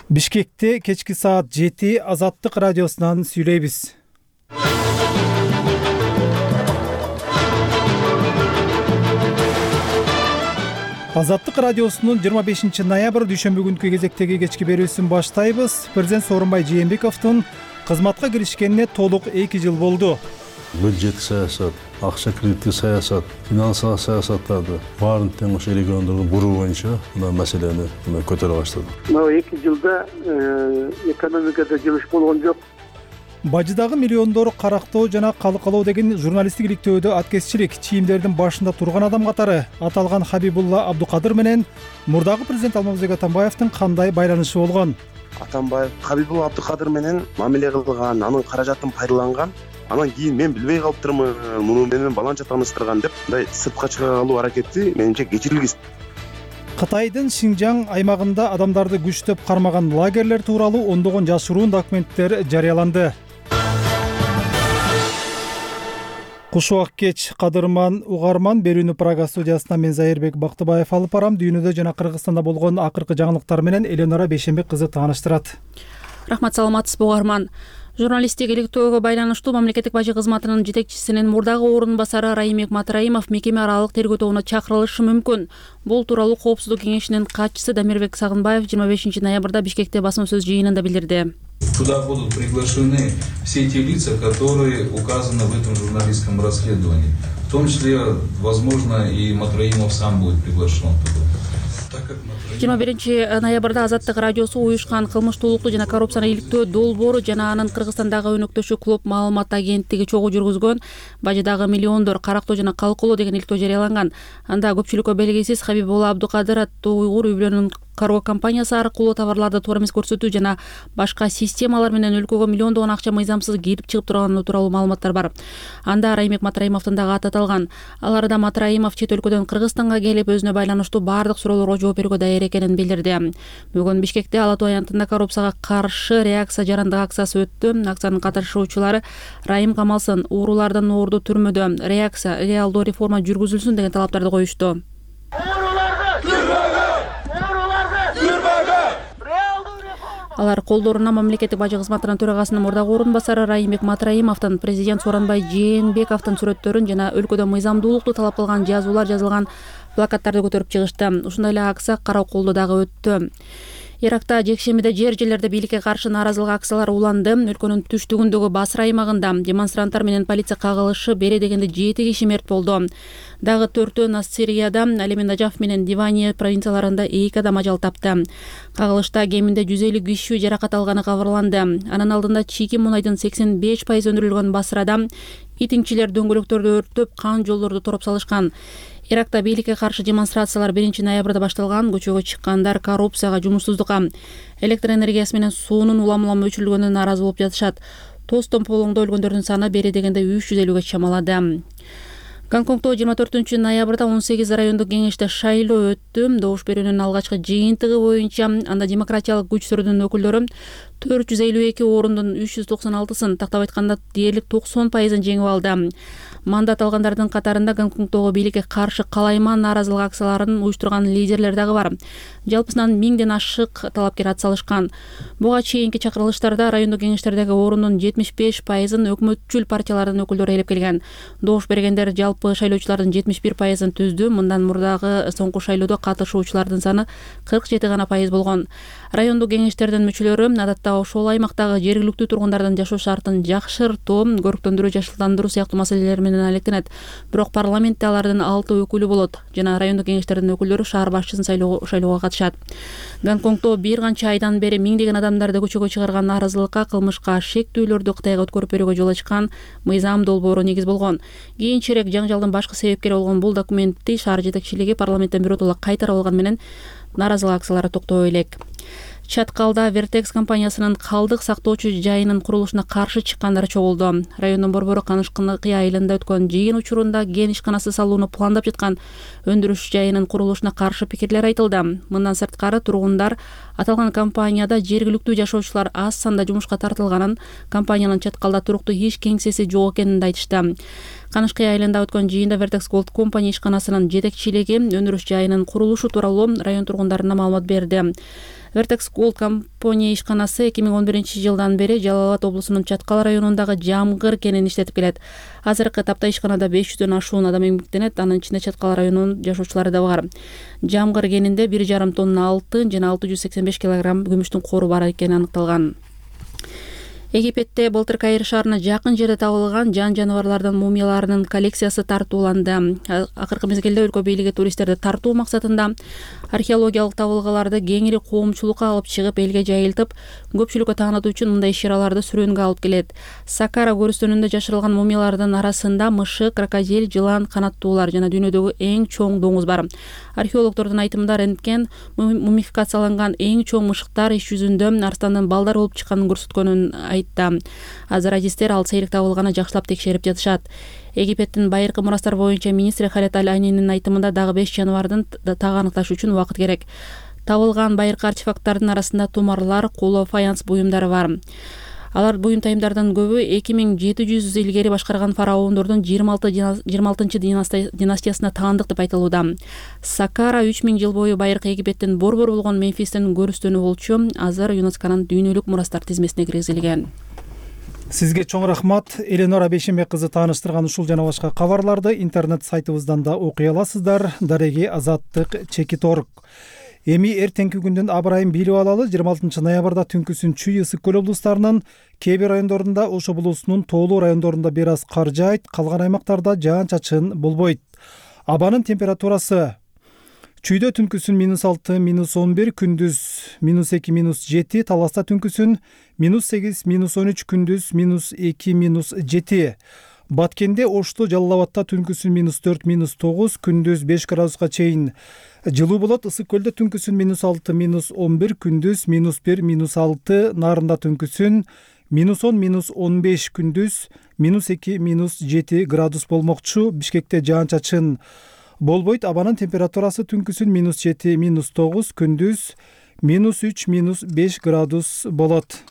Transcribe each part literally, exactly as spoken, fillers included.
Бишкекте кечки саат жети Азаттык радиосунан сүйлөйбүз. Азаттык радиосунун жыйырма бешинчи ноябрь дүйшөмбү күнкү кезектеги кечки берүүсүн баштайбыз. Президент Сооронбай Жээнбековдун кызматка киришкенине толук эки жыл болду. Бюджеттик саясат, акча кредиттик саясат, финансылык саясаттарды баарын тең ошо региондордун буруу боюнча мына маселени көтөрө баштадым. Мына эки жылда экономикада жыбыш болгон жок. Бажыдагы миллиондор карактоо жана калкалоо деген журналисттик иликтөөдө аткезчилик чийимдердин башында турган адам катары аталган Хабибулла Абдукадыр менен мурдагы президент Алмазбек Атамбаевдин кандай байланышы болгон? Атамбаев Хабибулла Абдукадыр менен мамиле кылган, анын каражатын пайдаланган. Анан кийин мен билбей калыптырмын, муну менен баланча тааныштырган деп мындай сыртка чыга алуу аракети менимче кечирилгис. Кытайдын Шинжаң аймагында адамдарды күчтөп кармаган лагерлер тууралуу ондогон жашыруун документтер жарыяланды. Куш убак кеч, кадырман угарман, берүүнү Прага студиясынан мен Зайырбек Бактыбаев алып барам. Дүйнөдө жана Кыргызстанда болгон акыркы жаңылыктар менен Эленора Бейшенбек кызы тааныштырат. Рахмат, саламатсызбы угарман. Журналисттик иликтөөгө байланыштуу мамлекеттик бажы кызматынын жетекчисинин мурдагы орун басары Райымбек Матраимов мекеме аралык тергөө тобуна чакырылышы мүмкүн. Бул тууралуу Коопсуздук кеңешинин катчысы Дамирбек Сагынбаев жыйырма бешинчи ноябрда Бишкекте басма сөз жыйынында билдирди. Туда будут приглашены все те лица, которые указаны в этом журналистском расследовании. В том числе, возможно, и Матраимов сам будет приглашен туда. жыйырма биринчи ноябрда Азаттык радиосу уюшкан кылмыштуулукту жана коррупцияны иликтөө долбоору жана анын Кыргызстандагы өнөктөшү Клуб маалымат агенттиги чогуу жүргүзгөн бажыдагы миллиондор карактоо жана калкалоо деген иликтөө жарыяланган. Анда көпчүлүккө белгисиз Хабибулла Абдукадыр аттуу уйгур үй-бүлөнүн карго компаниясы аркылуу товарларды туура эмес көрсөтүү жана башка системалар менен өлкөгө миллиондогон акча мыйзамсыз кирип чыгып турганы тууралуу маалыматтар бар. Анда Райымбек Матраимовдун дагы аты аталган. Аларда Матраимов чет өлкөдөн Кыргызстанга келип өзүнө байланыштуу баардык суроолорго жооп берүүгө даяр экенин билдирди. Бүгүн Бишкекте Ала Тоо аянтында коррупцияга каршы реакция жарандык акциясы өттү. Акциянын катышуучулары Райым камалсын, уурулардан уурду түрмөдө, реакция, реалдуу реформа жүргүзүлсүн деген талаптарды коюшту. Алар колдоруна мамлекеттик бажы кызматынын төрагасынын мурдагы орун басары Райымбек Матраимовдун, президент Сооронбай Жээнбековдун сүрөттөрүн жана өлкөдө мыйзамдуулукту талап кылган жазуулар жазылган плакаттарды көтөрүп чыгышты. Ушундай эле акция Караколдо дагы өттү. Иракта жекшембиде жер жерлерде бийликке каршы нааразылык акциялары уланды. Өлкөнүн түштүгүндөгү Басра аймагында демонстранттар менен полиция кагылышы бере дегенде жети киши мерт болду. Дагы төртөө Нассирияда, ал эми Нажаф менен Дивания провинцияларында эки адам ажал тапты. Кагылышта кеминде жүз элүү киши жаракат алганы кабарланды. Анын алдында чийки мунайдын сексен беш пайыз өндүрүлгөн Басрада итиңчилер дөңгөлөктөрдү өрттөп, кан жолдорду тороп салышкан. Иракта бийликке каршы демонстрациялар биринчи ноябрда башталган. Көчөгө чыккандар коррупцияга, жумушсуздукка, электр энергиясы менен суунун улам-улам өчүрүлгөнүнө нааразы болуп жатышат. Тостон полоңдо өлгөндөрдүн саны бере дегенде үч жүз элүүгө чамалады. Гонконгдо жыйырма төртүнчү ноябрда он сегиз райондук кеңеште шайлоо өттү. Добуш берүүнүн алгачкы жыйынтыгы боюнча анда демократиялык күчтөрдүн өкүлдөрү төрт жүз элүү эки орундун үч жүз токсон алтысын, тактап айтканда дээрлик токсон пайызын жеңип алды. Мандат алгандардын катарында Гонконгдогу бийликке каршы калайман нааразылык акцияларын уюштурган лидерлер дагы бар. Жалпысынан миңден ашык талапкер атсалышкан. Буга чейинки чакырылыштарда райондук кеңештердеги орундун жетимиш беш пайызын өкмөтчүл партиялардын өкүлдөрү ээлеп келген. Добуш бергендер жалпы шайлоочулардын жетимиш бир пайызын түздү. Мындан мурдагы соңку шайлоодо катышуучулардын саны кырк жети гана пайыз болгон. Райондук кеңештердин мүчөлөрү адатта ошол аймактагы жергиликтүү тургундардын жашоо шартын жакшыртуу, көрктөндүрүү, жашылдандыруу сыяктуу маселелер менен алектенет. Бирок парламентте алардын алты өкүлү болот жана райондук кеңештердин өкүлдөрү шаар башчысын шайлоого катышат. Гонконгдо бир канча айдан бери миңдеген адамдарды көчөгө чыгарган нааразылыкка, кылмышка, шектүүлөрдү Кытайга өткөрүп берүүгө жол ачкан мыйзам долбоору негиз болгон. Кийинчерээк жаңжалдын башкы себепкери болгон бул документти шаар жетекчилиги парламенттен биротоло кайтарып алган менен нааразылык акциялары токтобой элек. Чаткалда Вертекс компаниясынын калдык сактоочу жайынын курулушуна каршы чыккандар чогулду. Райондун борбору Канышкы айылында өткөн жыйын учурунда ген ишканасы салууну пландап жаткан өндүрүш жайынын курулушуна каршы пикирлер айтылды. Мындан сырткары тургундар аталган компанияда жергиликтүү жашоочулар аз санда жумушка тартылганын, компаниянын Чаткалда туруктуу иш кеңсеси жок экенин айтышты. Канышкы айылында өткөн жыйында Vertex Gold Company ишканасынын жетекчилиги өндүрүш жайынын курулушу тууралуу район тургундарына маалымат берди. Vertex Gold компания ишканасы эки миң он биринчи жылдан бери Жалал Абад облусунун Чаткал районундагы Жамгыр кенин иштетип келет. Азыркы тапта ишканада беш жүздөн ашуун адам эмгектенет, анын ичинде Чаткал районунун жашоочулары да бар. Жамгыр кенинде бир жарым тонна алтын жана алты жүз сексен беш килограмм күмүштүн кору бар экени аныкталган. Египетте былтыр Каир шаарына жакын жерде табылган жан жаныбарлардын мумияларынын коллекциясы тартууланды. Акыркы мезгилде өлкө бийлиги туристтерди тартуу максатында археологиялык табылгаларды кеңири коомчулукка алып чыгып, элге жайылтып, көпчүлүккө таанытуу үчүн мындай иш-чараларды сүрөнгө алып келет. Сакара көрүстөнүндө жашырылган мумиялардын арасында мышык, крокодил, жылан, канаттуулар жана дүйнөдөгү эң чоң доңуз бар. Археологдордун айтымында рентген мумификацияланган эң чоң мышыктар иш жүзүндө арстандын балдар болуп чыкканын көрсөткөнүн айтты. Азыр адистер ал сейрек табылганы жакшылап текшерип жатышат. Египеттин байыркы мурастар боюнча министри Халет Аль-Айнинин айтымында дагы беш жаныбардын тагы аныкташ үчүн убакыт керек. Табылган байыркы артефакттардын арасында тумарлар, коло, фаянс буюмдары бар. Алар буюм тайымдардын көбү эки миң жети жүз илгери башкарган фараондордун жыйырма алтынчы династиясына таандык деп айтылууда. Сакара үч миң жыл бою байыркы Египеттин борбор болгон Мемфистин көрүстөнү болчу. Азыр ЮНЕСКОнун дүйнөлүк мурастар тизмесине киргизилген. Сизге чоң рахмат. Эленора Бейшембек кызы тааныштырган ушул жана башка кабарларды интернет сайтыбыздан да окуй аласыздар. Дареги азаттык чекит орг. Эми эртеңки күндүн абырайын билип алалы. жыйырма алтынчы ноябрда түнкүсүн Чүй, Ысык көл облустарынын кээ бир райондорунда, Ош облусунун тоолуу райондорунда бир аз кар жаайт, калган аймактарда жаан-чачын болбойт. Абанын температурасы: Чүйдө түнкүсүн минус алты, минус он бир, күндүз минус эки, минус жети, Таласта түнкүсүн минус сегиз, минус он үч, күндүз минус эки, минус жети. Баткенде, Ошто, Жалал Абадта түнкүсүн минус төрт, минус тогуз, күндүз беш градуска чейин жылуу болот. Ысык көлдө түнкүсүн минус алты, минус он бир, күндүз минус бир, минус алты, Нарында түнкүсүн минус он, минус он беш, күндүз минус эки, минус жети градус болмокчу. Бишкекте жаан-чачын болбойт. Абанын температурасы түнкүсүн минус жети, минус тогуз, күндүз минус үч, минус беш градус болот.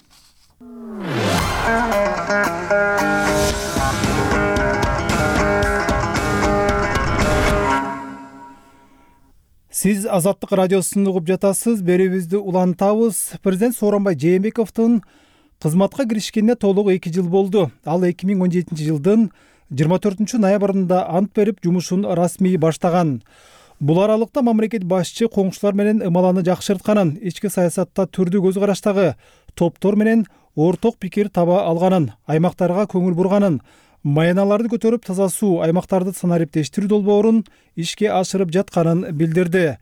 Сиз Азаттык радиосун угуп жатасыз. Берүүбүздү улантабыз. Президент Сооронбай Жээнбековдун кызматка киришкенине толугу эки жыл болду. Ал эки миң он жетинчи жылдын жыйырма төртүнчү ноябрында ант берип, жумушун расмий баштаган. Бул аралыкта мамлекет башчы коңшулар менен ымаланы жакшыртканын, ички саясатта түрдүү көз караштагы топтор менен орток пикир таба алганын, аймактарга көңүл бурганын, маяналарды көтөрүп таза суу, аймактарды санариптештирүү долбоорун ишке ашырып жатканын билдирди.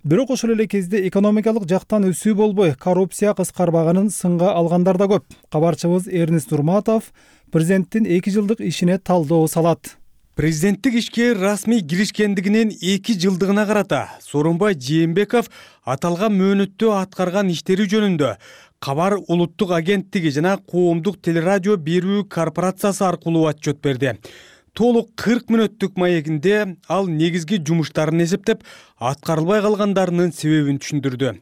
Бирок ошол эле кезде экономикалык жактан өсүү болбой, коррупция кыскарбаганын сынга алгандар да көп. Кабарчыбыз Эрнест Нурматов президенттин эки жылдык ишине талдоо салат. Президенттик ишке расмий киришкендигинин эки жылдыгына карата Сооронбай Жээнбеков аталган мөөнөттө аткарган иштери жөнүндө Кабар улуттук агенттиги жана коомдук телерадио берүү корпорациясы аркылуу отчет берди. Толук кырк мүнөттүк маегинде ал негизги жумуштарын эсептеп, аткарылбай калгандарынын себебин түшүндүрдү.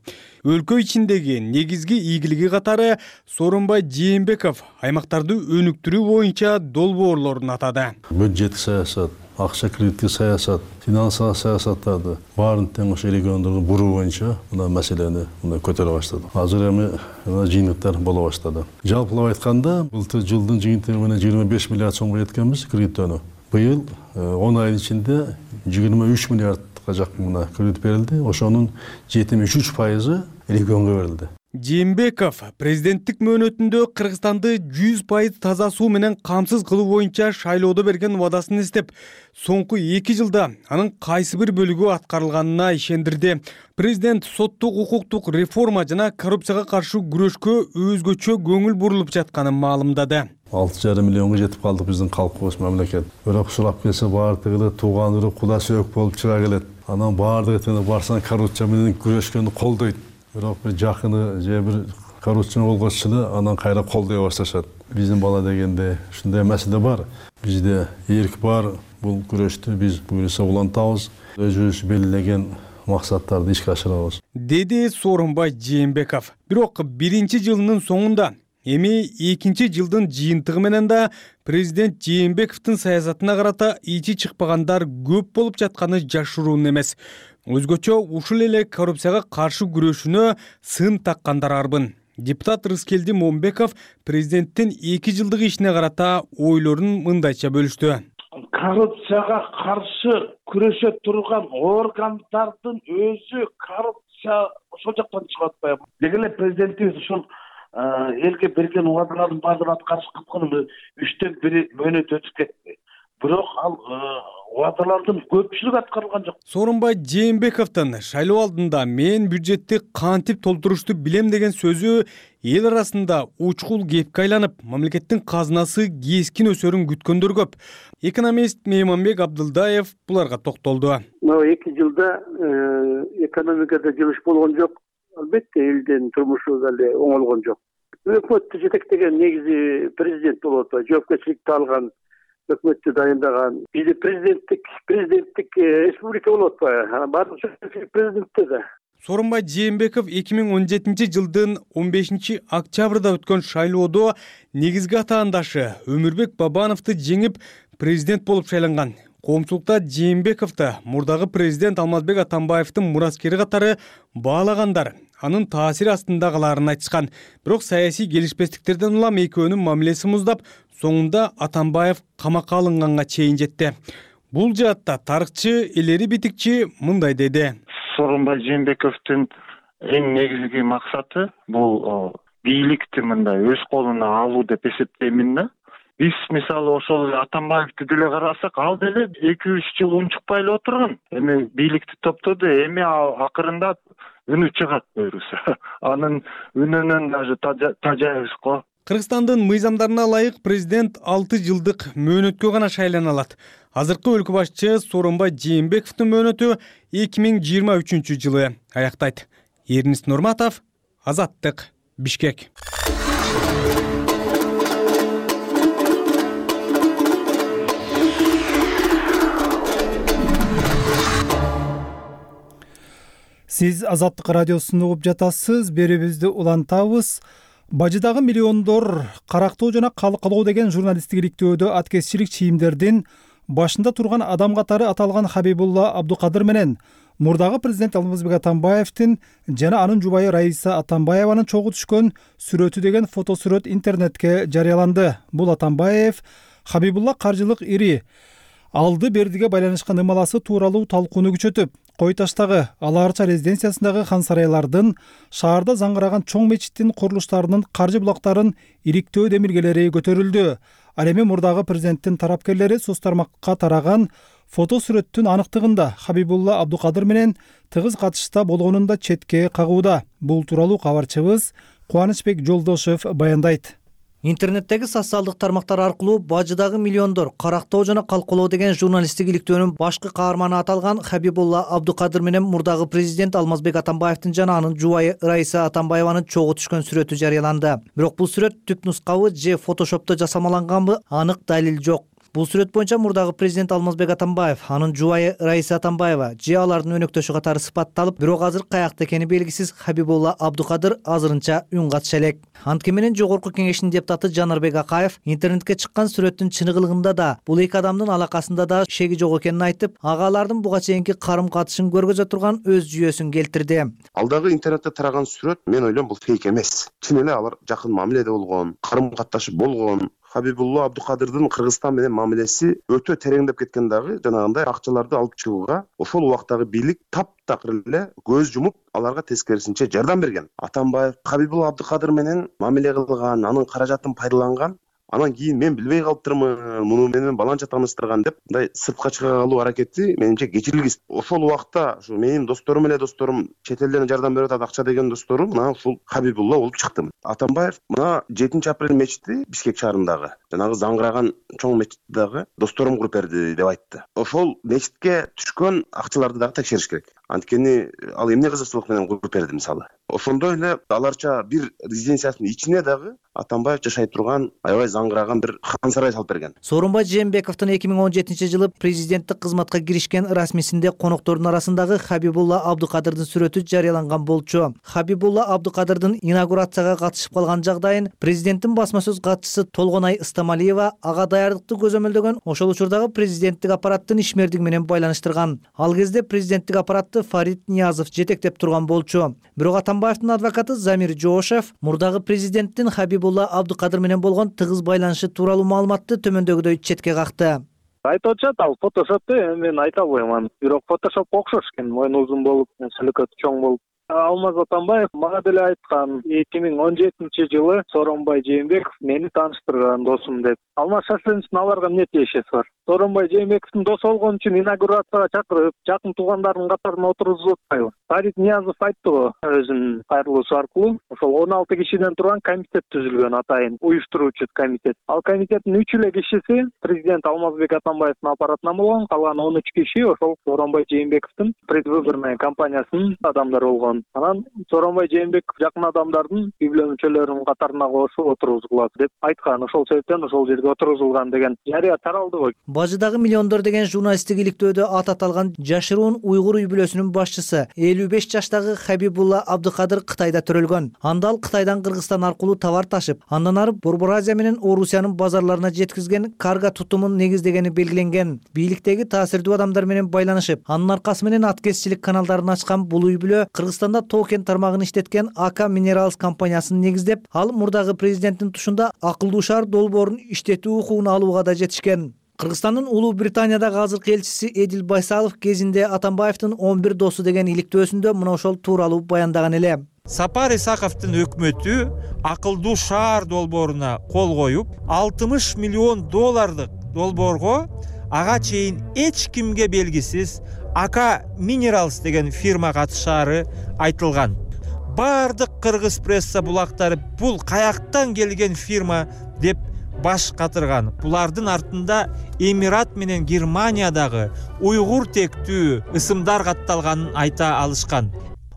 Өлкө ичиндеги негизги ийгилиги катары Сооронбай Жээнбеков аймактарды өнүктүрүү боюнча долбоорлорун атады. Бюджеттик саясат, акча кредиттик саясат, финансылык саясаттарды баарын тең ошо региондордун буруу боюнча мына маселени мына көтөрө баштады. Азыр эми жыйынтыктар боло баштады. Жалпылап айтканда, былтыр жылдын жыйынтыгы менен жыйырма беш миллиард сомго жеткенбиз кредиттөөнү. Быйыл он айдын ичинде жыйырма үч миллиардга жакын мына кредит берилди. Ошонун жетимиш үч пайызы регионго берилди. Жээнбеков президенттик мөөнөтүндө Кыргызстанды жүз пайыз таза суу менен камсыз кылуу боюнча шайлоодо берген убадасын эстеп, соңку эки жылда анын кайсы бир бөлүгү аткарылганына ишендирди. Президент соттук укуктук реформа жана коррупцияга каршы күрөшкө өзгөчө көңүл бурулуп жатканын маалымдады. алты жарым миллионго жетип калдык биздин калкыбыз мамлекет. Бирок сурап келсе баардыгы тууган үрү куда сөөк болуп чыга келет. Анан баардыгы барсаң коррупция менен күрөшкөндү колдойт. Бирок бир жакыны же бир коррупция болгоч эле анан кайра колдой башташат. Биздин бала дегенде ушундай маселе бар. Бизде эрк бар. Бул күрөштү биз буюрса улантабыз. Өзүбүз белгилеген максаттарды ишке ашырабыз. Деди Сооронбай Жээнбеков. Бирок биринчи жылынын соңунда эми экинчи жылдын жыйынтыгы менен да президент Жээнбековдун саясатына карата ичи чыкпагандар көп болуп жатканы жашыруун эмес. өзгөчө ушул эле коррупцияга каршы күрөшүүнө сын таккандар арбын. Депутат Рыскелди Момбеков президенттин эки жылдык ишине карата ойлорун мындайча бөлүштү. Коррупцияга каршы күрөшө турган органдардын өзү коррупция ошол жактан чыгып атпайбы? Деги эле президентибиз ушул элге берген убадалардын баардыгын аткарыш кыткан үчтөн бiri мөөнөт өтүп кетти. Бирок ал убадалардын көпчүлүгү аткарылган жок. Сооронбай Жээнбековдун шайлоо алдында мен бюджетти кантип толтурушту билем деген сөзү эл арасында учкул кепке айланып, мамлекеттин казынасы кескин өсөрүн күткөндөр көп. Экономист Мейманбек Абдылдаев буларга токтолду. эки жылда экономикада жылыш болгон жок. Албетте элдин турмушу деле оңолгон жок. Өкмөттү жетектеген негизи президент болуп атпайбы? Жоопкерчиликти алган, өкмөттү дайындаган бизде президенттик президенттик республика болуп атпайбы? Баардык президентте да. Сооронбай Жээнбеков эки миң он жетинчи жылдын он бешинчи октябрда өткөн шайлоодо негизги атаандашы Өмүрбек Бабановду жеңип президент болуп шайланган. Коомчулукта Жээнбековду мурдагы президент Алмазбек Атамбаевдин мураскери катары баалагандар, анын таасири астында калаарын айтышкан. Бирок саясий келишпестиктерден улам экөөнүн мамилеси муздап, соңунда Атамбаев камакка алынганга чейин жетти. Бул жаатта тарыхчы Элери Битикчи мындай деди. Сооронбай Жээнбековдун эң негизги максаты бул бийликти мындай өз колуна алуу деп эсептеймин да. Биз мисалы ошол Атамбаевди деле карасак, ал деле эки үч жыл унчукпай эле отурган. Эми бийликти топтоду, эми акырында үнү чыгат буюрса. Анын үнүнөн даже тажайбыз го. Кыргызстандын мыйзамдарына ылайык президент алты жылдык мөөнөткө гана шайлана алат. Азыркы өлкө башчы Сооронбай Жээнбековдун мөөнөтү эки миң жыйырма үчүнчү жылы аяктайт. Эрнис Нурматов, Азаттык, Бишкек. Сиз Азаттык радиосун угуп жатасыз. Берүүбүздү улантабыз. Бажыдагы миллиондор карактоо жана калкалоо деген журналисттик иликтөөдө аткезчилик чийимдердин башында турган адам катары аталган Хабибулла Абдукадыр менен мурдагы президент Алмазбек Атамбаевдин жана анын жубайы Раиса Атамбаеванын чогуу түшкөн сүрөтү деген фотосүрөт интернетке жарыяланды. Бул Атамбаев Хабибулла каржылык ири алды бердиге байланышкан ымаласы тууралуу талкууну күчөтүп, Кой таштагы Ала Арча резиденциясындагы хан сарайлардын, шаарда заңгыраган чоң мечиттин курулуштарынын каржы булактарын иликтөө демилгелери көтөрүлдү. Ал эми мурдагы президенттин тарапкерлери соц тармакка тараган фотосүрөттүн аныктыгында Хабибулла Абдукадыр менен тыгыз катышта болгонун да четке кагууда. Бул тууралуу кабарчыбыз Кубанычбек Жолдошев баяндайт. Интернеттеги социалдык тармактар аркылуу Бажыдагы миллиондор карактоо жана калкалоо деген журналисттик иликтөөнүн башкы каарманы аталган Хабибулла Абдукадыр менен мурдагы президент Алмазбек Атамбаевдин жана анын жубайы Раиса Атамбаеванын чогуу түшкөн сүрөтү жарыяланды. Бирок бул сүрөт түп нускабы же фотошопто жасамаланганбы анык далил жок. Бул сүрөт боюнча мурдагы президент Алмазбек Атамбаев, анын жубайы Раиса Атамбаева же алардын өнөктөшү катары сыпатталып, бирок азыр каякта экени белгисиз Хабибулла Абдукадыр азырынча үн катыша элек. Анткени менен жогорку кеңештин депутаты Жанарбек Акаев интернетке чыккан сүрөттүн чыныгылыгында да, бул эки адамдын алакасында да шеги жок экенин айтып, агалардын буга чейинки карым-катышын көргөзө турган өз жүйөсүн келтирди. Алдагы интернетте тараган сүрөт мен ойлойм бул фейк эмес. Чын эле алар жакын мамиледе болгон, карым-катташып болгон. Хабибулла Абдукадырдын Кыргызстан менен мамилеси өтө тереңдеп кеткен дагы, жанагындай акчаларды алып чыгууга ошол убактагы бийлик таптакыр эле көз жумуп, аларга тескерисинче жардам берген. Атамбаев Хабибулла Абдукадыр менен мамиле кылган, анын каражатын пайдаланган, анан кийин мен билбей калыптырмын, муну менен баланча тааныштырган деп мындай сыртка чыга калуу аракети менимче кечирилгис. Ошол убакта ушу менин досторум эле досторум, чет элден жардам берип атат акча деген досторум, мына ушул Хабибулла болуп чыктым. Атамбаев мына жетинчи апрель мечити Бишкек шаарындагы, жанагы заңгыраган чоң мечиттеги досторум куруп берди деп айтты. Ошол мечитке түшкөн акчаларды дагы текшериш керек. Анткени ал эмне кызыкчылык менен куруп берди мисалы. Ошондой эле Аларча бир резиденциясынын ичине дагы Атамбаев жашай турган аябай заңгыраган бир хан сарай салып берген. Сооронбай Жээнбековдун эки миң он жетинчи жылы президенттик кызматка киришкен расмисинде коноктордун арасындагы Хабибулла Абдукадырдын сүрөтү жарыяланган болчу. Хабибулла Абдукадырдын инаугурацияга катышып калган жагдайын президенттин басма сөз катчысы Толгонай Ыстамалиева ага даярдыкты көзөмөлдөгөн, ошол учурдагы президенттик аппараттын ишмердиги менен байланыштырган. Ал кезде президенттик аппаратты адвокаты Фарид Ниязов жетектеп турган болчу. Бирок Атамбаевдин адвокаты Замир Жоошев мурдагы президенттин Хабибулла Абдукадыр менен болгон тыгыз байланышы тууралуу маалыматты төмөндөгүдөй четке какты. Айтып атышат, ал фотошопты мен айта албайм аны. Бирок фотошопко окшош экен, мойну узун болуп, сөлөкөтү чоң болуп. Алмаз Атамбаев мага деле айткан эки миң он жетинчи жылы Сооронбай Жээнбеков мени тааныштырган досум деп. Алмаз Шашлиновичтин аларга эмне тиешеси бар? Сооронбай Жээнбековдун досу болгон үчүн инаугурацияга чакырып, жакын туугандарынын катарына отургузуп атпайбы? Фарид Ниязов айтты го өзүнүн кайрылуусу аркылуу. Ошол он алты кишиден турган комитет түзүлгөн, атайын уюштуруучу комитет. Ал комитеттин үч эле кишиси президент Алмазбек Атамбаевдин аппаратынан болгон, калган он үч киши ошол Сооронбай Жээнбековдун предвыборный кампаниясынын адамдары болгон. Анан Сооронбай Жээнбеков жакын адамдардын үй-бүлө мүчөлөрүнүн катарына кошуп отургузулат деп айткан. Ошол себептен ошол жерге отургузулган деген жарыя таралды го. Бажыдагы миллиондор деген журналисттик иликтөөдө ат аталган жашыруун уйгур үй-бүлөсүнүн башчысы элүү беш жаштагы Хабибулла Абдукадыр Кытайда төрөлгөн. Анда ал Кытайдан Кыргызстан аркылуу товар ташып, андан ары Борбор Азия менен Орусиянын базарларына жеткизген карго тутумун негиздегени белгиленген. Бийликтеги таасирдүү адамдар менен байланышып, анын аркасы менен аткезчилик каналдарын ачкан бул үй-бүлө Кыргызстанда токен тармагын иштеткен АК Minerals компаниясын негиздеп, ал мурдагы президенттин тушунда акылдуу шаар долбоорун иштетүү укугун алууга да жетишкен. Кыргызстандын Улуу Британиядагы азыркы элчиси Эдил Байсалов кезинде Атамбаевдин он бир досу деген иликтөөсүндө мына ошол тууралуу баяндаган эле. Сапар Исаковдун өкмөтү акылдуу шаар долбооруна кол коюп, алтымыш миллион доллардык долбоорго ага чейин эч кимге белгисиз АК Minerals деген фирма катышаары айтылган. Бардык кыргыз пресса булактары бул каяктан келген фирма деп баш катырган. Булардын артында Эмират менен Германиядагы уйгур тектүү ысымдар катталганын айта алышкан.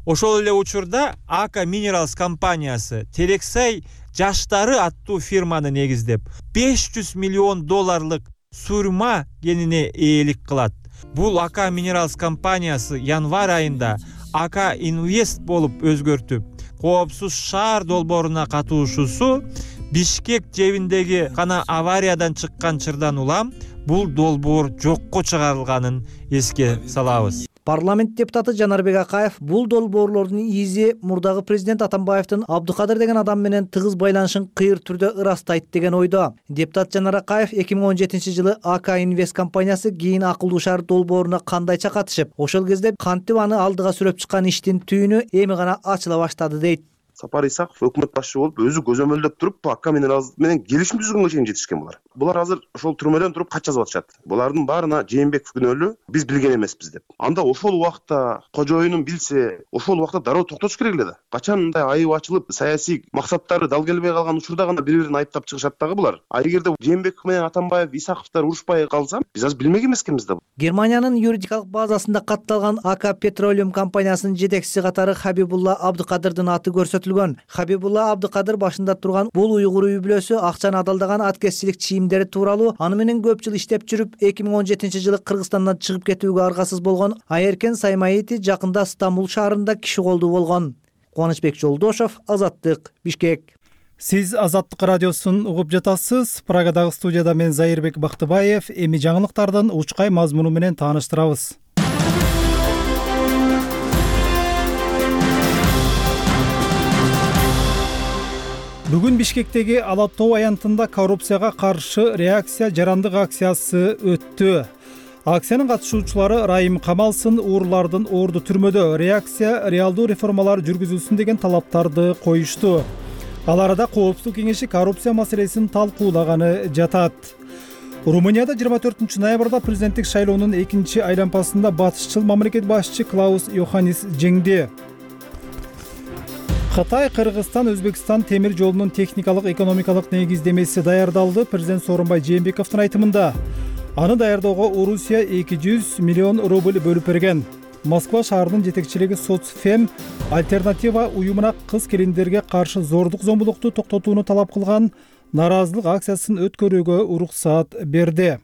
Ошол эле учурда АК Minerals компаниясы Терексай жаштары аттуу фирманы негиздеп, беш жүз миллион долларлык сурма генине ээлик кылат. Бул АК Minerals компаниясы январь айында АК Инвест болуп өзгөртүп, коопсуз шаар долбооруна катышуусу Бишкек жебиндеги гана авариядан чыккан чырдан улам бул долбоор жокко чыгарылганын эске салабыз. Парламент депутаты Жанарбек Акаев бул долбоорлордун изи мурдагы президент Атамбаевдин Абдукадыр деген адам менен тыгыз байланышын кыйыр түрдө ырастайт деген ойдо. Депутат Жанар Акаев эки миң он жетинчи жылы АК Инвест компаниясы кийин акылдуу шаар долбооруна кандайча катышып, ошол кезде кантип аны алдыга сүрөп чыккан иштин түйүнү эми гана ачыла баштады дейт. Сапар Исаков өкмөт башчы болуп, өзү көзөмөлдөп туруп, АК Minerals менен келишим түзгөнгө чейин жетишкен булар. Булар азыр ошол түрмөдөн туруп кат жазып атышат. Булардын баарына Жээнбеков күнөөлүү, биз билген эмеспиз деп. Анда ошол убакта кожоюнун билсе, ошол убакта дароо токтотуш керек эле да. Качан мындай айып ачылып, саясий максаттары дал келбей калган учурда гана бири-бирин айыптап чыгышат дагы булар. А эгерде Жээнбеков менен Атамбаев, Исаковдор урушпай калса, биз азыр билмек эмескенбиз да. Германиянын юридикалык базасында катталган АК Petroleum компаниясынын жетекчиси катары Хабибулла Абдукадырдын аты көрсөтүлгөн. Хабибулла Абдукадыр башында турган бул уйгур үй-бүлөсү акчаны адалдаган аткезчилик чийимдери тууралуу аны менен көп жыл иштеп жүрүп, эки миң он жетинчи жылы Кыргызстандан чыгып кетүүгө аргасыз болгон Айеркен Саймаити жакында Стамбул шаарында киши колдуу болгон. Кубанычбек Жолдошов, Азаттык, Бишкек. Сиз Азаттык радиосун угуп жатасыз. Прагадагы студияда мен Зайырбек Бактыбаев. Эми жаңылыктардын учкай мазмуну менен тааныштырабыз. Бүгүн Бишкектеги Ала тоо аянтында коррупцияга каршы реакция жарандык акциясы өттү. Акциянын катышуучулары Райым камалсын, уурлардын орду түрмөдө, реакция реалдуу реформалар жүргүзүлсүн деген талаптарды коюшту. Ал арада Коопсуздук кеңеши коррупция маселесин талкуулаганы жатат. Румынияда жыйырма төртүнчү ноябрда президенттик шайлоонун экинчи айлампасында батышчыл мамлекет башчы Клаус Йоханнис жеңди. Кытай, Кыргызстан, Өзбекстан темир жолунун техникалык экономикалык негиздемеси даярдалды. Президент Сооронбай Жээнбековдун айтымында аны даярдоого Орусия эки жүз миллион рубль бөлүп берген. Москва шаарынын жетекчилиги Соцфем альтернатива уюмуна кыз келиндерге каршы зордук зомбулукту токтотууну талап кылган нааразылык акциясын өткөрүүгө уруксат берди.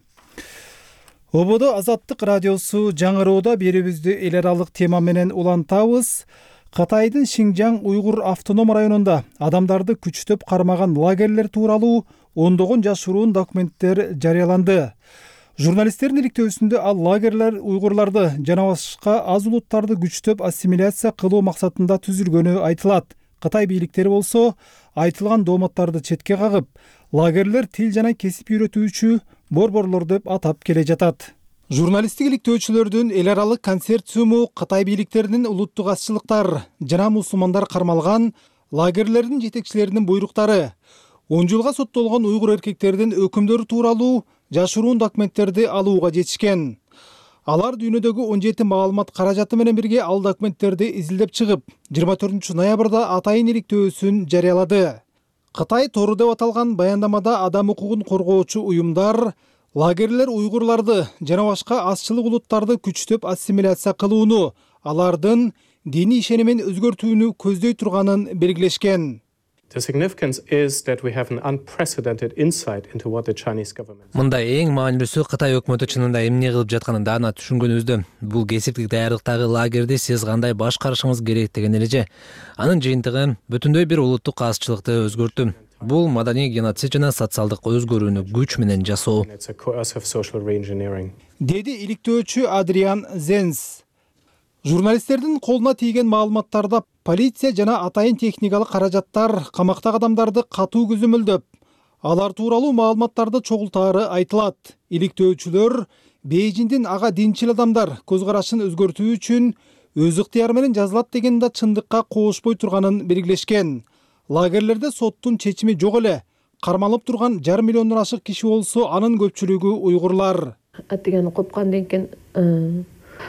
Ободо Азаттык радиосу жаңыроодо берүүбүздү эл аралык тема менен улантабыз. Кытайдын Шинжаң уйгур автоном районунда адамдарды күчтөп кармаган лагерлер тууралуу ондогон жашыруун документтер жарыяланды. Журналисттердин иликтөөсүндө ал лагерлер уйгурларды жана башка аз улуттарды күчтөп ассимиляция кылуу максатында түзүлгөнү айтылат. Кытай бийликтери болсо айтылган дооматтарды четке кагып, лагерлер тил жана кесип үйрөтүүчү борборлор деп атап келе жатат. Журналисттик иликтөөчүлөрдүн эл аралык консорциуму Кытай бийликтеринин улуттук азчылыктар жана мусулмандар кармалган лагерлердин жетекчилеринин буйруктары, он жылга соттолгон уйгур эркектердин өкүмдөрү тууралуу жашыруун документтерди алууга жетишкен. Алар дүйнөдөгү он жети маалымат каражаты менен бирге ал документтерди изилдеп чыгып, жыйырма төртүнчү ноябрда атайын иликтөөсүн жарыялады. Кытай тору деп аталган баяндамада адам укугун коргоочу уюмдар лагерлер уйгурларды жана башка азчылык улуттарды күчтөп ассимиляция кылууну, алардын диний ишенимин өзгөртүүнү көздөй турганын белгилешкен. The significance is that we have an unprecedented insight into what the Chinese government. Мында эң маанилүүсү Кытай өкмөтү чынында эмне кылып жатканын даана түшүнгөнүбүздө. Бул кесиптик даярдыктагы лагерди сиз кандай башкарышыңыз керек деген эреже. Анын жыйынтыгы бүтүндөй бир улуттук азчылыкты өзгөртүү. Бул маданий геноцид жана социалдык өзгөрүүнү күч менен жасоо. Деди иликтөөчү Адриан Зенс. Журналисттердин колуна тийген маалыматтарда полиция жана атайын техникалык каражаттар камактагы адамдарды катуу көзөмөлдөп, алар тууралуу маалыматтарды чогултаары айтылат. Иликтөөчүлөр Бейжиңдин ага динчил адамдар көз карашын өзгөртүү үчүн өз ыктыяры менен жазылат деген да чындыкка коошпой турганын белгилешкен. Лагерлерде соттун чечими жок эле. Кармалып турган жарым миллиондон ашык киши болсо, анын көпчүлүгү уйгурлар. Атыганы копкандан кийин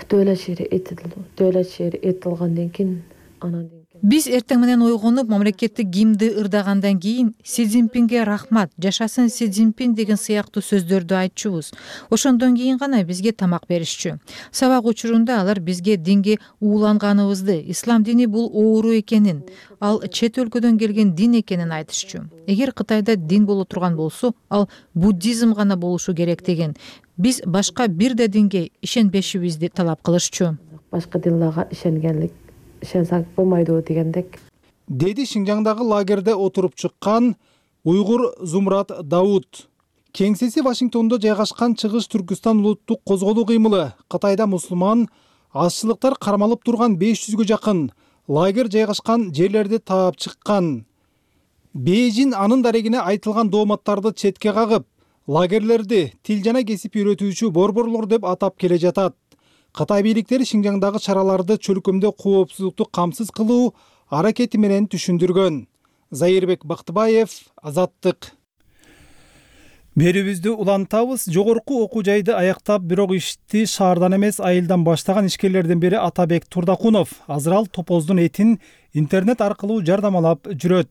дөлөт шери этилди. Дөлөт шери этилгандан кийин анан биз эртең менен ойгонуп, мамлекеттик гимнди ырдагандан кийин Си Цзиньпинге рахмат, жашасын Си Цзиньпин деген сыяктуу сөздөрдү айтчубуз. Ошондон кийин гана бизге тамак беришчү. Сабак учурунда алар бизге динге ууланганыбызды, ислам дини бул оору экенин, ал чет өлкөдөн келген дин экенин айтышчу. Эгер Кытайда дин боло турган болсо, ал буддизм гана болушу керек деген. Биз башка бир да динге ишенбешибизди талап кылышчу. Башка динлерге ишенгенлик ишенсек болмойду дегендек. Деди Шинжаңдагы лагерде отуруп чыккан уйгур Зумрат Дауд. Кеңсеси Вашингтондо жайгашкан Чыгыш Түркүстан улуттук козголуу кыймылы Кытайда мусулман азчылыктар кармалып турган беш жүзгө жакын лагер жайгашкан жерлерди таап чыккан. Бейжиң анын дарегине айтылган дооматтарды четке кагып, лагерлерди тил жана кесип үйрөтүүчү борборлор деп атап келе жатат. Кытай бийликтери Шинжаңдагы чараларды чөлкөмдө коопсуздукту камсыз кылуу аракети менен түшүндүргөн. Зайырбек Бактыбаев, Азаттык. Берүүбүздү улантабыз. Жогорку окуу жайды аяктап, бирок ишти шаардан эмес айылдан баштаган ишкерлердин бири Атабек Турдакунов азыр ал топоздун этин интернет аркылуу жардамалап жүрөт.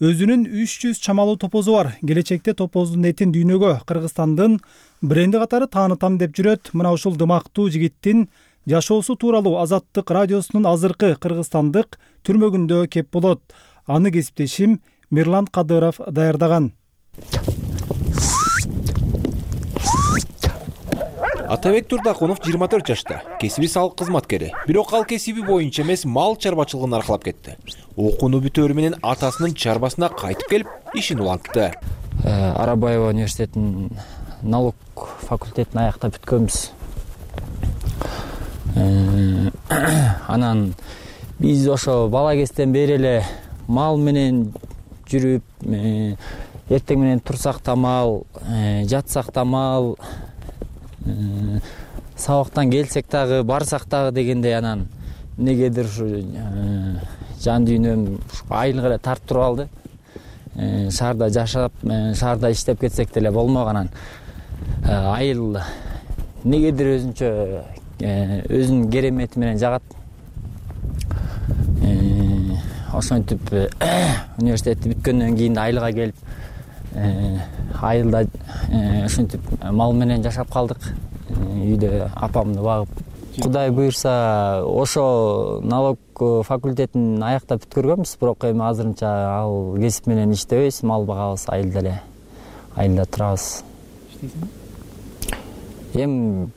Өзүнүн үч жүз чамалуу топозу бар. Келечекте топоздун этин дүйнөгө Кыргызстандын бренди катары таанытам деп жүрөт. Мына ушул дымактуу жигиттин жашоосу тууралуу Азаттык радиосунун азыркы кыргызстандык түрмөгүндө кеп болот. Аны кесиптешим Мирлан Кадыров даярдаган. Атабек Турдакунов жыйырма төрт жашта, кесиби салык кызматкери. Бирок ал кесиби боюнча эмес, мал чарбачылыгын аркалап кетти. Окууну бүтөөрү менен атасынын чарбасына кайтып келип, ишин улантты. Арабаева университетинин налог факультетин аяктап бүткөнбүз. Анан биз ошо бала кезден бери эле мал менен жүрүп, эртең менен турсак да мал, жатсак да мал, сабактан келсек дагы, барсак дагы дегендей, анан эмнегедир ушу жан дүйнөм айылга эле тартып туруп алды. Шаарда жашап, шаарда иштеп кетсек деле болмок, анан айыл эмнегедир өзүнчө өзүнүн керемети менен жагат. Ошентип университетти бүткөндөн кийин айылга келип, айылда ошентип мал менен жашап калдык. Үйдө апамды багып. Кудай буйрса, ошо налог факультетин аяктап бүткөргөнбүз, бирок эми азырынча ал кесип менен иштебейбиз, мал багабыз, айылда эле, айылда турабыз. Эми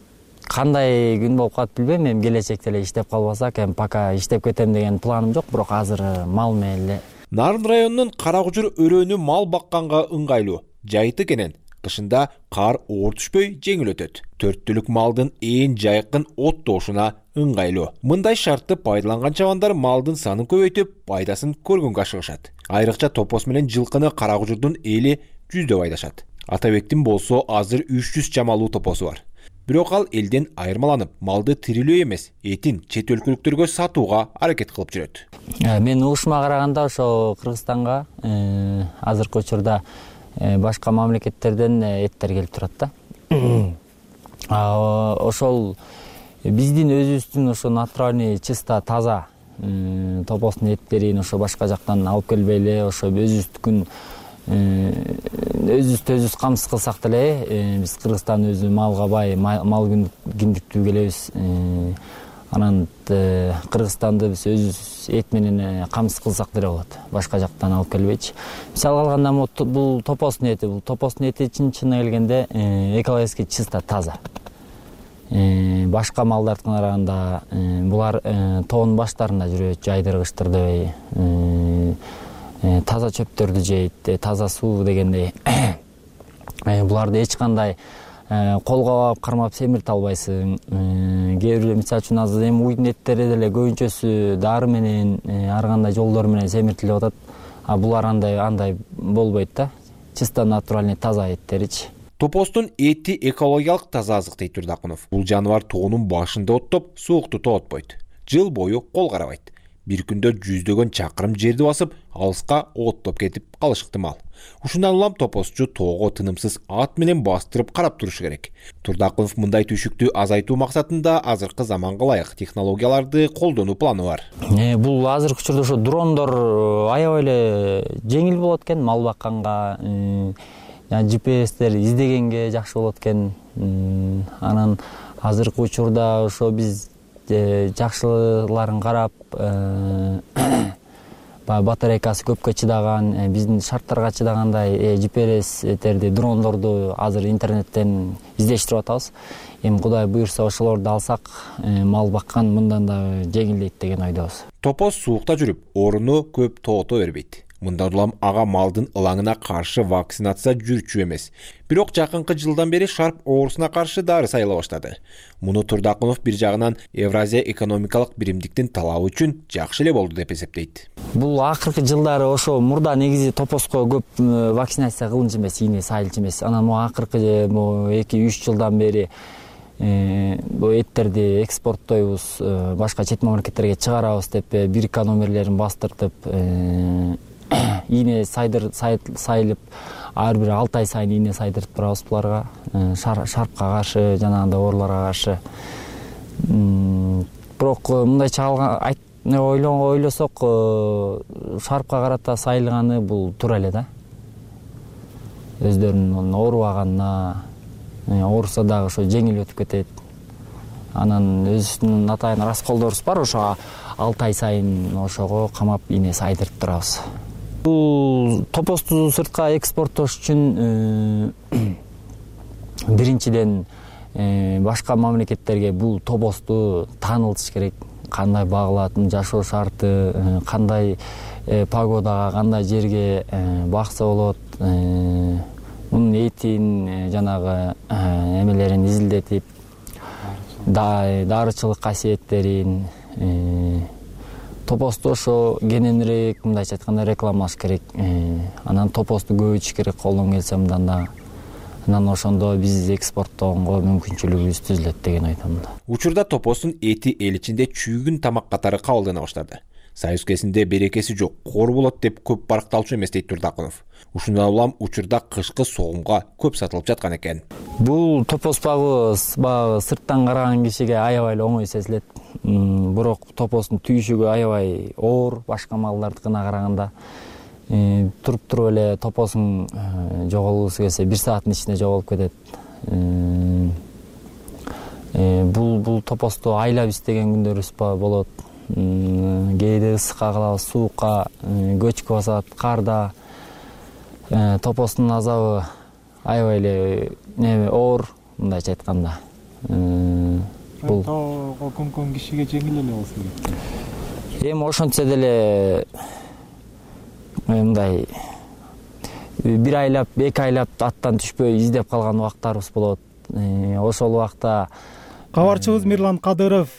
кандай күн болуп калат билбейм, эми келечекте эле иштеп калбасак, эми пока иштеп кетем деген планым жок, бирок азыр мал менен эле. Нарын районунун Каракужур өрөөнү мал бакканга ыңгайлуу, жайыты кенен. Кышында кар оор түшпөй жеңил өтөт. Төрт түлүк малдын ээн жайкын оттоошуна ыңгайлуу. Мындай шартты пайдаланган чабандар малдын санын көбөйтүп, пайдасын көргөнгө ашыгышат. Айрыкча топос менен жылкыны Каракужурдун эли жүздөп айдашат. Атабектин болсо азыр үч жүз чамалуу топосу бар. Бирок ал элден айырмаланып, малды тирилөө эмес, этин чет өлкөлүктөргө сатууга аракет кылып жүрөт. Мен угушума караганда ошо Кыргызстанга азыркы учурда башка мамлекеттерден эттер келип турат да. Ошол биздин өзүбүздүн ошо натуральный, чисто, таза топостун эттерин ошо башка жактан алып келбей эле, ошо өзүбүздүкүн өзүбүздү өзүбүз камсыз кылсак деле, биз Кыргызстан өзү малга бай, мал киндиктүү келебиз. Анан Кыргызстанды биз өзүбүз эт менен камсыз кылсак деле болот, башка жактан алып келбейчи. Мисалы алганда бул топостун эти, бул топостун эти чын-чынына келгенде экологически чисто, таза. Башка малдардыкына караганда булар тоонун баштарында жүрөт, жайдыргычтыр дебей, таза чөптөрдү жейт, таза суу дегендей. Буларды эч кандай колго алып кармап семирте албайсың. Кээ бир мисалы үчүн азыр эми уйдун эттери деле көбүнчөсү дары менен, ар кандай жолдор менен семиртилип атат. А булар андай андай болбойт да. Чисто натуральный таза эттеричи. Топостун эти экологиялык таза азык дейт Турдакунов. Бул жаныбар тоонун башында оттоп, суукту тоотпойт. Жыл бою кол карабайт. Бир күндө жүздөгөн чакырым жерди басып, алыска оттоп кетип калышы ыктымал. Ушундан улам топосчу тоого тынымсыз ат менен бастырып карап турушу керек. Турдакунов мындай түйшүктү азайтуу максатында азыркы заманга ылайык технологияларды колдонуу планы бар. Бул азыркы учурда ошо дрондор аябай эле жеңил болот экен, мал бакканга, жи пи эстер издегенге жакшы болот экен. Анан азыркы учурда ошо биз жакшыларын карап, батарейкасы көпкө чыдаган, биздин шарттарга чыдагандай жи пи эстерди, дрондорду азыр интернеттен издештирип атабыз. Эми Кудай буйрса ошолорду алсак, мал баккан мындан да жеңилдейт деген ойдобуз. Топос суукта жүрүп, орууну көп тоото бербейт. Мындан улам ага малдын ылаңына каршы вакцинация жүрчү эмес. Бирок жакынкы жылдан бери шарп оорусуна каршы дары сайыла баштады. Муну Турдакунов бир жагынан Евразия экономикалык биримдиктин талабы үчүн жакшы эле болду деп эсептейт. Бул акыркы жылдары ошо мурда негизи топоско көп вакцинация кылынчу эмес, ийне сайылчу эмес. Анан могу акыркы эки үч жылдан бери бул эттерди экспорттойбуз, башка чет мамлекеттерге чыгарабыз деп бирка номерлерин бастыртып, ийне сайдыр сайылып, ар бир алты ай сайын ийне сайдырып турабыз буларга, шарпка каршы, жанагындай ооруларга каршы. Бирок мындайча ойлосок, шарпка карата сайылганы бул туура эле да. Өздөрүнүн оорубаганына, ооруса дагы ошо жеңил өтүп кетет. Анан өзүбүздүн атайын расколдорубуз бар, ошо алты ай сайын ошого камап ийне сайдырып турабыз. Бул топосту сыртка экспорттош үчүн биринчиден башка мамлекеттерге бул топосту таанылтыш керек. Кандай багылатын, жашоо шарты, кандай погодага, кандай жерге бакса болот, мунун этин, жанагы эмелерин изилдетип, дарычылык касиеттерин, топосту ошо кененирээк, мындайча айтканда, рекламалаш керек. Анан топосту көбөйтүш керек, колдон келсе мындан да. Анан ошондо биз экспорттоого мүмкүнчүлүгүбүз түзүлөт деген ойдомун. Учурда топостун эти эл ичинде чүйгүн тамак катары кабылдана баштады. Союз кезинде берекеси жок, кор болот деп көп баркталчу эмес дейт Турдакунов. Ушундан улам учурда кышкы согумга көп сатылып жаткан экен. Бул топос багы сырттан караган кишиге аябай эле оңой сезилет. Бирок топостун түйшүгү аябай оор, башка малдардыкына караганда. Туруп туруп эле топосуң жоголгусу келсе бир сааттын ичинде жоголуп кетет. Бул бул топосту айлап издеген күндөрүбүз болот. Кээде ысыкка калабыз, суукка, көчкү басат, карда. Топостун азабы аябай эле неме оор, мындайча айтканда. Бул тоого көмкөн кишиге жеңил эле болсо керек. Эми ошентсе деле мындай бир айлап эки айлап аттан түшпөй издеп калган убактарыбыз болот. Ошол убакта кабарчыбыз Мирлан Кадыров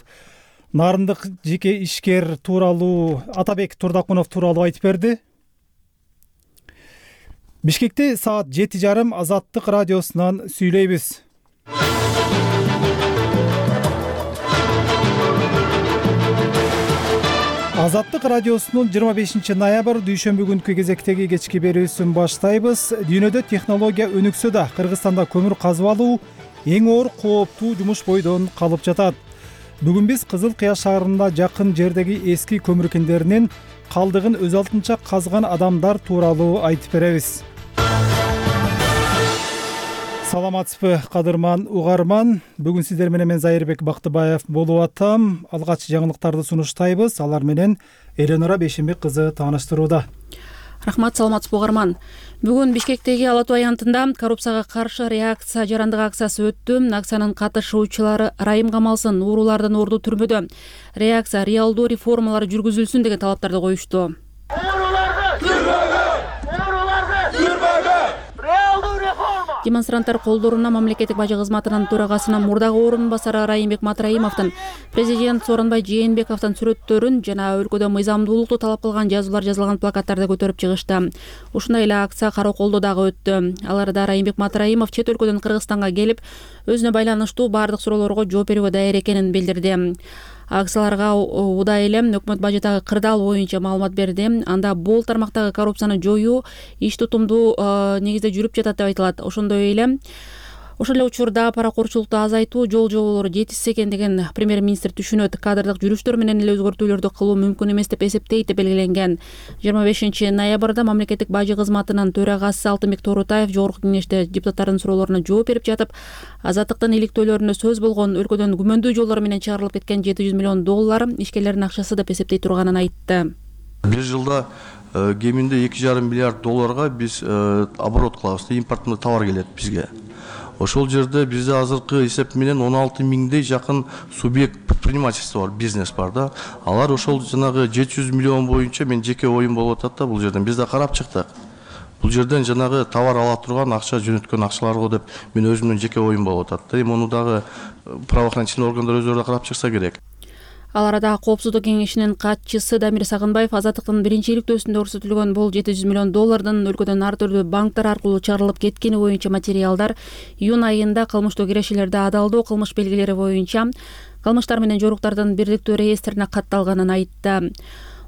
нарындык жеке ишкер тууралуу Атабек Турдакунов тууралуу айтып берди. Бишкекте саат жети жарым Азаттык радиосунан сүйлөйбүз. Азаттык радиосунун жыйырма бешинчи ноябрь дүйшөмбү күнкү кезектеги кечки берүүсүн баштайбыз. Дүйнөдө технология өнүксө да Кыргызстанда көмүр казып алуу эң оор кооптуу жумуш бойдон калып жатат. Бүгүн биз Кызыл Кыя шаарында жакын жердеги эски көмүр кендеринин калдыгын өз алдынча казган адамдар тууралуу айтып беребиз. Саламатсызбы, кадырман угарман. Бүгүн сиздер менен мен Зайырбек Бактыбаев болуп атам. Алгач жаңылыктарды сунуштайбыз. Алар менен Эленора Бейшенбек кызы тааныштырууда. Рахмат, саламатсызбы угарман. Бүгүн Бишкектеги Ала Тоо аянтында коррупцияга каршы реакция жарандык акциясы өттү. Акциянын катышуучулары Райым Камалсын уурулардан орду түрмөдө. Реакция реалдуу реформалар жүргүзүлсүн деген талаптарды коюшту. Демонстранттар колдоруна мамлекеттик бажы кызматынын төрагасынын мурдагы орун басары Райымбек Матраимовдун, президент Сооронбай Жээнбековдун сүрөттөрүн жана өлкөдө мыйзамдуулукту талап кылган жазуулар жазылган плакаттарды көтөрүп чыгышты. Ушундай эле акция Караколдо дагы өттү. Аларда Райымбек Матраимов чет өлкөдөн Кыргызстанга келип, өзүнө байланыштуу бардык суроолорго жооп берүүгө даяр экенин билдирди. Акцияларга удай эле өкмөт бажетагы кырдаал боюнча маалымат берди. Анда бул тармактагы коррупцияны жоюу иш тутумдуу негизде жүрүп жатат деп айтылат. Ошондой эле Ошол эле учурда паракорчулукту азайтуу жол жоболору жетишсиз экен деген премьер-министр түшүнөт. Кадрдык жүрүштөр менен эле өзгөртүүлөрдү кылуу мүмкүн эмес деп эсептейт деп белгиленген. жыйырма бешинчи ноябрда мамлекеттик бажы кызматынын төрагасы Алтынбек Тооротаев жогорку кеңеште депутаттардын суроолоруна жооп берип жатып, Азаттыктын иликтөөлөрүнө сөз болгон өлкөдөн күмөндүү жолдор менен чыгарылып кеткен жети жүз миллион доллар ишкерлердин акчасы деп эсептей турганын айтты. Бир жылда кеминде эки жарым миллиард долларга биз оборот кылабыз, импорттуу товар келет бизге. Ошол жерде бизде азыркы эсеп менен он алты миңдей жакын субъект предпринимательство бар, бизнес бар да. Алар ошол жанагы жети жүз миллион боюнча мен жеке оюм болуп атат да бул жерден. Биз да карап чыктык. Бул жерден жанагы товар ала турган акча жөнөткөн акчалар го деп мен өзүмдүн жеке оюм болуп атат. Эми муну дагы правоохранительный органдар өздөрү да карап чыкса керек. Ал арада Коопсуздук кеңешинин катчысы Дамир Сагынбаев Азаттыктын биринчи иликтөөсүндө көрсөтүлгөн бул жети жүз миллион доллардын өлкөдөн ар түрдүү банктар аркылуу чыгарылып кеткени боюнча материалдар июнь айында кылмыштуу кирешелерди адалдоо кылмыш белгилери боюнча кылмыштар менен жоруктардын бирдиктүү реестрине катталганын айтты.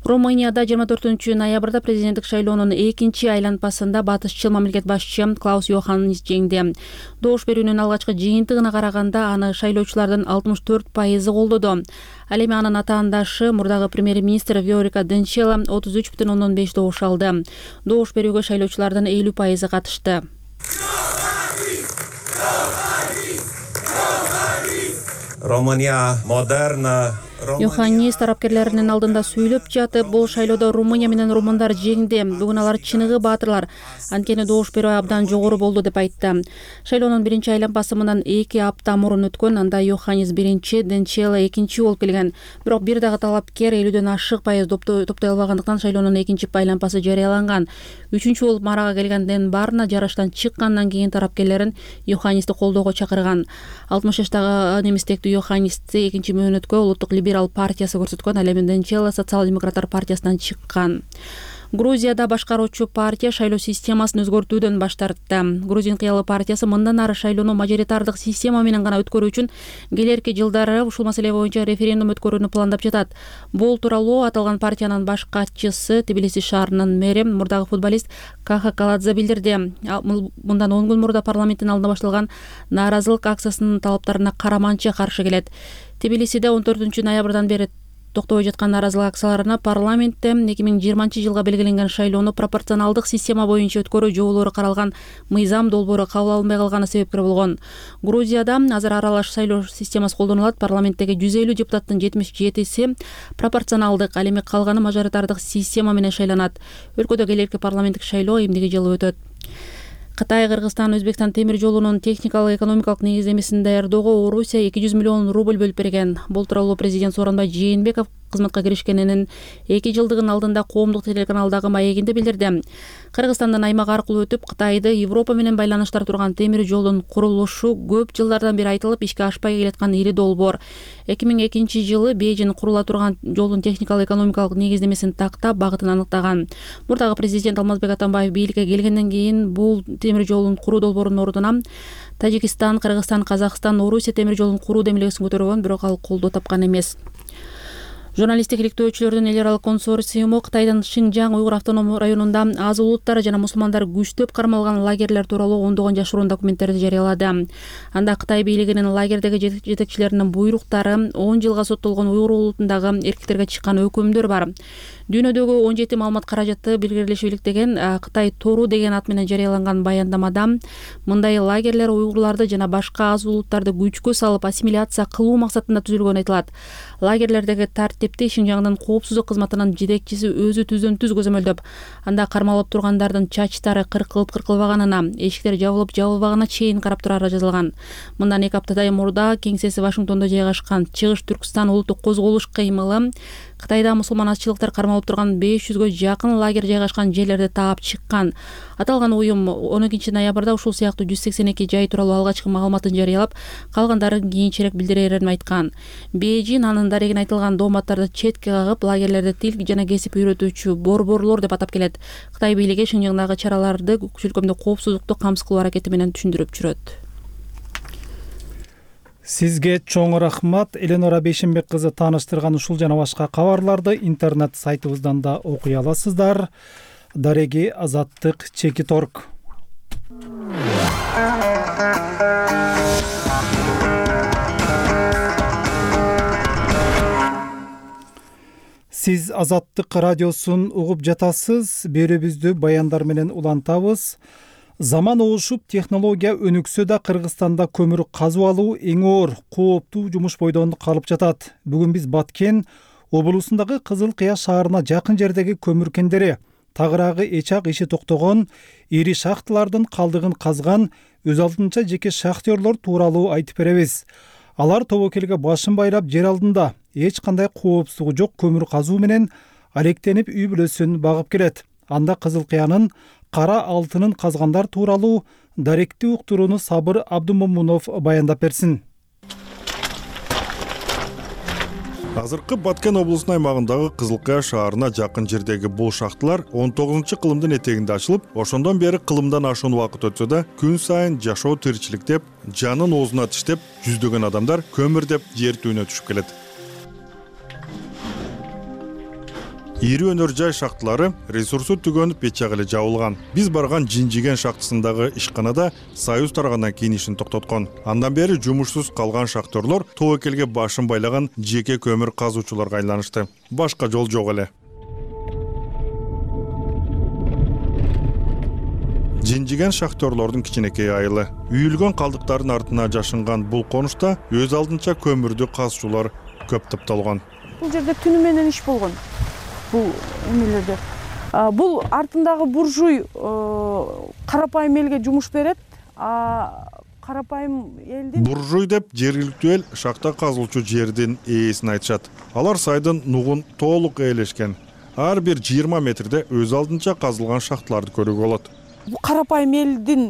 Румынияда жыйырма төртүнчү ноябрда президенттик шайлоонун экинчи айланпасында батышчыл мамлекет башчысы Клаус Йоханнис жеңди. Добуш берүүнүн алгачкы жыйынтыгына караганда аны шайлоочулардын алтымыш төрт пайызы колдоду. Ал эми анын атаандашы мурдагы премьер-министр Виорика Денчела отуз үч бүтүн ондон беш добуш алды. Добуш берүүгө шайлоочулардын элүү пайызы катышты. Румыния модерна Йоханнис тарапкерлеринин алдында сүйлөп жатып, бул шайлоодо Румыния менен румындар жеңди. Бүгүн алар чыныгы баатырлар. Анткени добуш берүү абдан жогору болду деп айтты. Шайлоонун биринчи айланпасы мындан эки апта мурун өткөн. Анда Йоханнис биринчи, Денчела экинчи болуп келген. Бирок бир дагы талапкер элүүдөн ашык пайыз топтой албагандыктан шайлоонун экинчи айланпасы жарыяланган. Үчүнчү болуп марага келгенден баарына жарыштан чыккандан кийин тарапкерлерин Йоханнисти колдоого чакырган. алтымыш жаштагы немистектүү Йоханнисти экинчи мөөнөткө улуттук либерал партиясы көрсөткөн. Ал эми Денчела социал-демократтар партиясынан чыккан. Грузияда башкаруучу партия шайлоо системасын өзгөртүүдөн баш тартты. Грузин кыялы партиясы мындан ары шайлоону мажоритардык система менен гана өткөрүү үчүн келерки жылдары ушул маселе боюнча референдум өткөрүүнү пландап жатат. Бул тууралуу аталган партиянын баш катчысы Тбилиси шаарынын мэри мурдагы футболист Каха Каладзе билдирди. Мындан он күн мурда парламенттин алдында башталган нааразылык акциясынын талаптарына караманча каршы келет. Тбилисиде он төртүнчү ноябрдан бери токтобой жаткан нааразылык акцияларына парламентте эки миң жыйырманчы жылга белгиленген шайлоону пропорционалдык система боюнча өткөрүү жоболору каралган мыйзам долбоору кабыл алынбай калганы себепкер болгон. Грузияда азыр аралаш шайлоо системасы колдонулат. Парламенттеги жүз элүү депутаттын жетимиш жетиси пропорционалдык, ал эми калганы мажоритардык система менен шайланат. Өлкөдө келерки парламенттик шайлоо эмдиги жылы өтөт. Кытай, Кыргызстан, Өзбекстан темир жолунун техникалык экономикалык негиздемесин даярдоого Орусия эки жүз миллион рубль бөлүп берген. Бул тууралуу президент Сооронбай Жээнбеков кызматка киришкенинин эки жылдыгынын алдында коомдук телеканалдагы маегинде билдирди. Кыргызстандын аймак аркылуу өтүп Кытайды Европа менен байланыштар турган темир жолдун курулушу көп жылдардан бери айтылып ишке ашпай келаткан ири долбоор. эки миң экинчи жылы Бейжин курула турган жолдун техникалык экономикалык негиздемесин тактап багытын аныктаган. Мурдагы президент Алмазбек Атамбаев бийликке келгенден кийин бул темир жолдун куруу долбоорунун ордуна Тажикстан, Кыргызстан, Казакстан, Орусия темир жолун куруу демилгесин көтөргөн, бирок ал колдоо тапкан эмес. Журналисттик иликтөөчүлөрдүн эл аралык консорциуму Кытайдын Шинжаң уйгур автономдук районунда аз улуттар жана мусулмандар күчтөп кармалган лагерлер тууралуу ондогон жашыруун документтерди жарыялады. Анда Кытай бийлигинин лагердеги жетекчилеринин буйруктары, он жылга соттолгон уйгур улутундагы эркектерге чыккан өкүмдөр бар. Дүйнөдөгү он жети маалымат каражаты билгелешип деген Кытай Тору деген ат менен жарыяланган баяндамада мындай лагерлер уйгурларды жана башка аз улуттарды күчкө салып ассимиляция кылуу максатында түзүлгөнү айтылат. Лагерлердеги тартипти Шинжаңдын коопсуздук кызматынын жетекчиси өзү түздөн түз көзөмөлдөп, анда кармалып тургандардын чачтары кыркылып кыркылбаганына, эшиктер жабылып жабылбаганына чейин карап турары жазылган. Мындан эки аптадай мурда кеңсеси Вашингтондо жайгашкан Чыгыш Түркстан улуттук козголуш кыймылы Кытайда мусулман азчылыктар кармалып турган беш жүзгө жакын лагерь жайгашкан жерлерди таап чыккан. Аталган уюм он экинчи ноябрда ушул сыяктуу жүз сексен эки жай тууралуу алгачкы маалыматын жарыялап, калгандарын кийинчерээк билдирерин айткан. Бейжин анын дарегин айтылган дооматтарды четке кагып, лагерлерди тил жана кесип үйрөтүүчү борборлор деп атап келет. Кытай бийлиги Шинжаңдагы чараларды өлкөмдө коопсуздукту камсыз кылуу аракети менен түшүндүрүп жүрөт. Сизге чоң рахмат. Эленора Бейшенбек кызы тааныштырган ушул жана башка кабарларды интернет сайтыбыздан да окуй аласыздар. Дареги Азаттык Чекиторг. Сиз Азаттык радиосун угуп жатасыз. Берүүбүздү баяндар менен улантабыз. Заман оошуп, технология өнүксө да Кыргызстанда көмүр казып алуу эң оор, кооптуу жумуш бойдон калып жатат. Бүгүн биз Баткен облусундагы Кызыл Кыя шаарына жакын жердеги көмүр кендери, тагыраагы эчак иши токтогон ири шахталардын калдыгын казган өз алдынча жеке шахтерлор тууралуу айтып беребиз. Алар тобокелге башын байлап жер алдында эч кандай коопсуздугу жок көмүр казуу менен алектенип үй бүлөсүн багып келет. Анда Кызыл Кыянын кара алтынын казгандар тууралуу даректи уктурууну Сабыр Абдумомунов баяндап берсин. Азыркы Баткен облусунун аймагындагы Кызыл Кыя шаарына жакын жердеги бул шахталар он тогузунчу кылымдын этегинде ачылып, ошондон бери кылымдан ашуун убакыт өтсө да, күн сайын жашоо тиричиликтеп, жанын оозуна тиштеп, жүздөгөн адамдар көмүр деп жер түбүнө түшүп келет. Ири өнөр жай шахталары ресурсу түгөнүп бечак эле жабылган. Биз барган Жинжиген шахтасындагы ишканада Союз таргандан кийин ишин токтоткон. Андан бери жумушсуз калган шахтерлор тобокелге башын байлаган жеке көмүр казуучуларга айланышты. Башка жол жок эле. Жинжиген шахтерлордун кичинекей айылы. Үйүлгөн калдыктардын артына жашынган бул конушта өз алдынча көмүрдү казуучулар көп тапталган. Бул жерде түнү менен иш болгон. Бул эмелерде. Бул артындагы буржуй карапайым элге жумуш берет. Карапайым элдин буржуй деп жергиликтүү эл шахта казылуучу жердин ээсин айтышат. Алар сайдын нугун толук ээлешкен. Ар бир жыйырма метрде өз алдынча казылган шахталарды көрүүгө болот. Бул карапайым элдин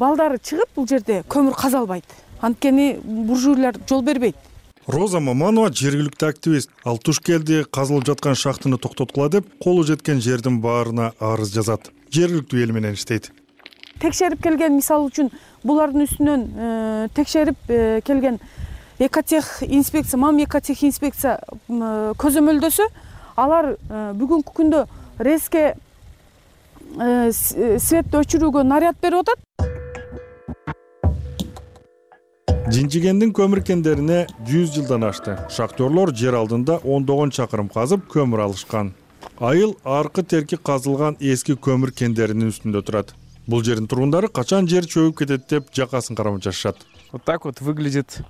балдары чыгып бул жерде көмүр каза албайт. Анткени буржуйлар жол бербейт. Роза Маманова жергиликтүү активист. Ал туш келди, казылып жаткан шахтаны токтоткула деп, колу жеткен жердин баарына арыз жазат. Жергиликтүү эл менен иштейт. Текшерип келген, мисалы үчүн, булардын үстүнөн текшерип келген Экотех инспекция, мам Экотех инспекция көзөмөлдөсө, алар бүгүнкү күндө резке светти өчүрүүгө наряд берип атат. Жинжигендин көмүр кендерине жүз жылдан ашты. Шахтерлор жер алдында ондогон чакырым казып көмүр алышкан. Айыл аркы терки казылган эски көмүр кендеринин үстүндө турат. Бул жердин тургундары качан жер чөгүп кетет деп жакасын карап жашашат. Вот так вот выглядит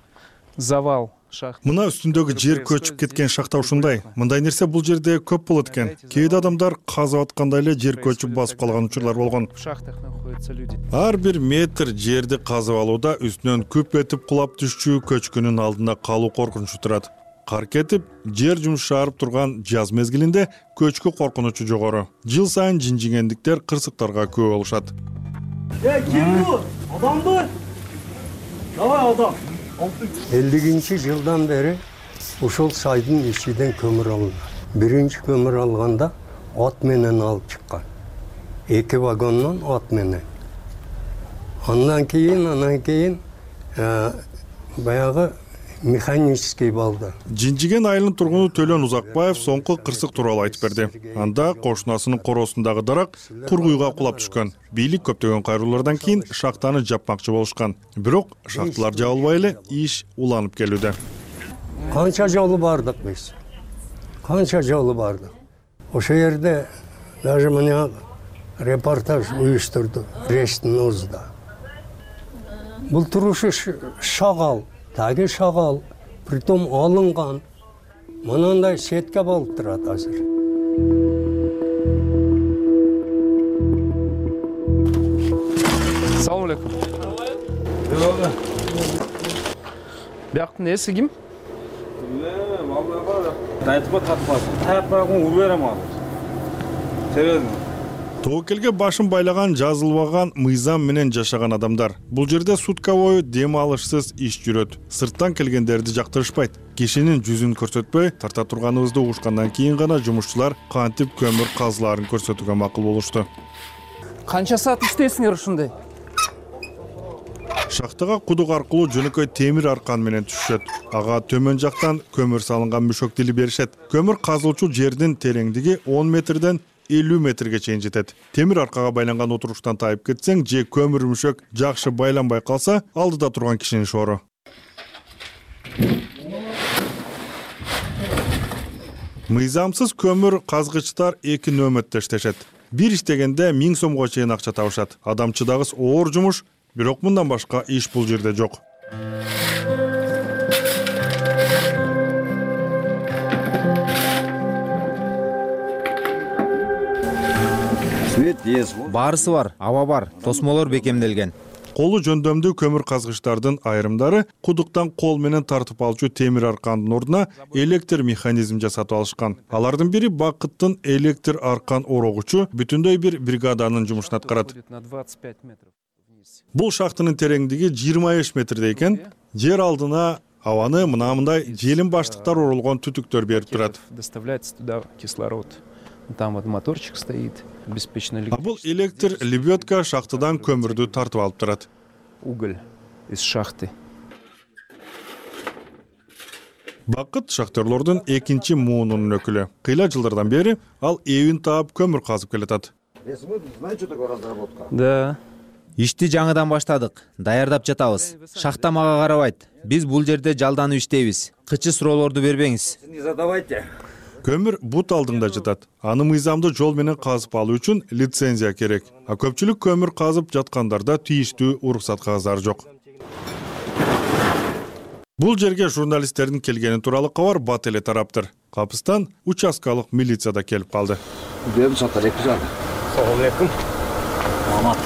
завал шахт. Мына үстүндөгү жер көчүп кеткен шахта ушундай. Мындай нерсе бул жерде көп болот экен. Кээде адамдар казып атканда эле жер көчүп басып калган учурлар болгон. В шахтах находятся люди. Ар бир метр жерди казып алууда үстүнөн күп этип кулап түшчү көчкүнүн алдында калуу коркунучу турат. кар кетип, жер жумшаарып турган жаз мезгилинде көчкү коркунучу жогору. Жыл сайын жинжигендиктер кырсыктарга көп болушат. Э, ким бул? Адамбы? Давай адам. элүүнчү жылдан бери ушул сайдын ичиден көмүр алынат. Биринчи көмүр алганда ат менен алып чыккан. Эки вагондон ат менен. Андан кийин, андан кийин баягы механический балды. Жинжиген айылынын тургуну Төлөн Узакбаев соңку кырсык тууралуу айтып берди. Анда кошунасынын короосундагы дарак кургуйга кулап түшкөн. Бийлик көптөгөн кайрылуулардан кийин шахтаны жапмакчы болушкан. Бирок шахталар жабылбай эле иш уланып келүүдө. Канча жолу бардык биз. Канча жолу бардык. Ошо жерде даже мына репортаж уюштурду Рештин Узда. Бул турушу шагал, таги шагал, притом алынган. Мынандай сетке болуп турат азыр. Салам алейкум. Бияктын эси ким? Айтпа татпас. Таяппагын уруп берем ал. Себеби Тоокелге башын байлаган, жазылбаган мыйзам менен жашаган адамдар. Бул жерде сутка бою дем алышсыз иш жүрөт. Сырттан келгендерди жактырышпайт. Кишинин жүзүн көрсөтпөй, тарта турганыбызды угушкандан кийин гана жумушчулар кантип көмүр казылаарын көрсөтүүгө макул болушту. Канча саат иштейсиңер ушундай? Шахтага кудук аркылуу жөнөкөй темир аркан менен түшүшөт. Ага төмөн жактан көмүр салынган мүшөк тили беришет. Көмүр казылчу жердин тереңдиги он метрден элүү метрге чейин жетет. Темир аркага байланган отуруштан тайып кетсең же көмүр мүшөк жакшы байланбай калса, алдыда турган кишинин шоору. Мыйзамсыз көмүр казгычтар эки нөмөттө иштешет. Бир иштегенде миң сомго чейин акча табышат. Адамчыдагыс оор жумуш, бирок мындан башка иш бул жерде жок. Баарысы бар, аба бар, тосмолор бекемделген. Колу жөндөмдүү көмүр казгычтардын айрымдары кудуктан кол менен тартып алчу темир аркандын ордуна электр механизм жасатып алышкан. Алардын бири Бакыттын электр аркан орогучу бүтүндөй бир бригаданын жумушун аткарат. Бул шахтынын тереңдиги жыйырма беш метрде экен. Жер алдына абаны мындай желим баштыктар оролгон түтүктөр берип турат. Доставляется туда кислород. Там вот моторчик стоит, беспечно. А бул электр лебедка шахтадан көмүрдү тартып алып турат. Уголь из шахты. Бакыт шахтерлордун экинчи муунунун өкүлү. Кыйла жылдардан бери ал эбин таап көмүр казып келатат. Да. Ишти жаңыдан баштадык, даярдап жатабыз. Шахта мага карабайт. Биз бул жерде жалданып иштейбиз. Кычы суроолорду бербеңиз. Не задавайте. Көмүр бут алдында жатат. Аны мыйзамдуу жол менен казып алуу үчүн лицензия керек. А көпчүлүк көмүр казып жаткандарда тийиштүү уруксат кагаздары жок. Бул жерге журналисттердин келгени тууралуу кабар бат эле тараптыр. Капыстан участкалык милиция да келип калды. Салам алейкум. Амат.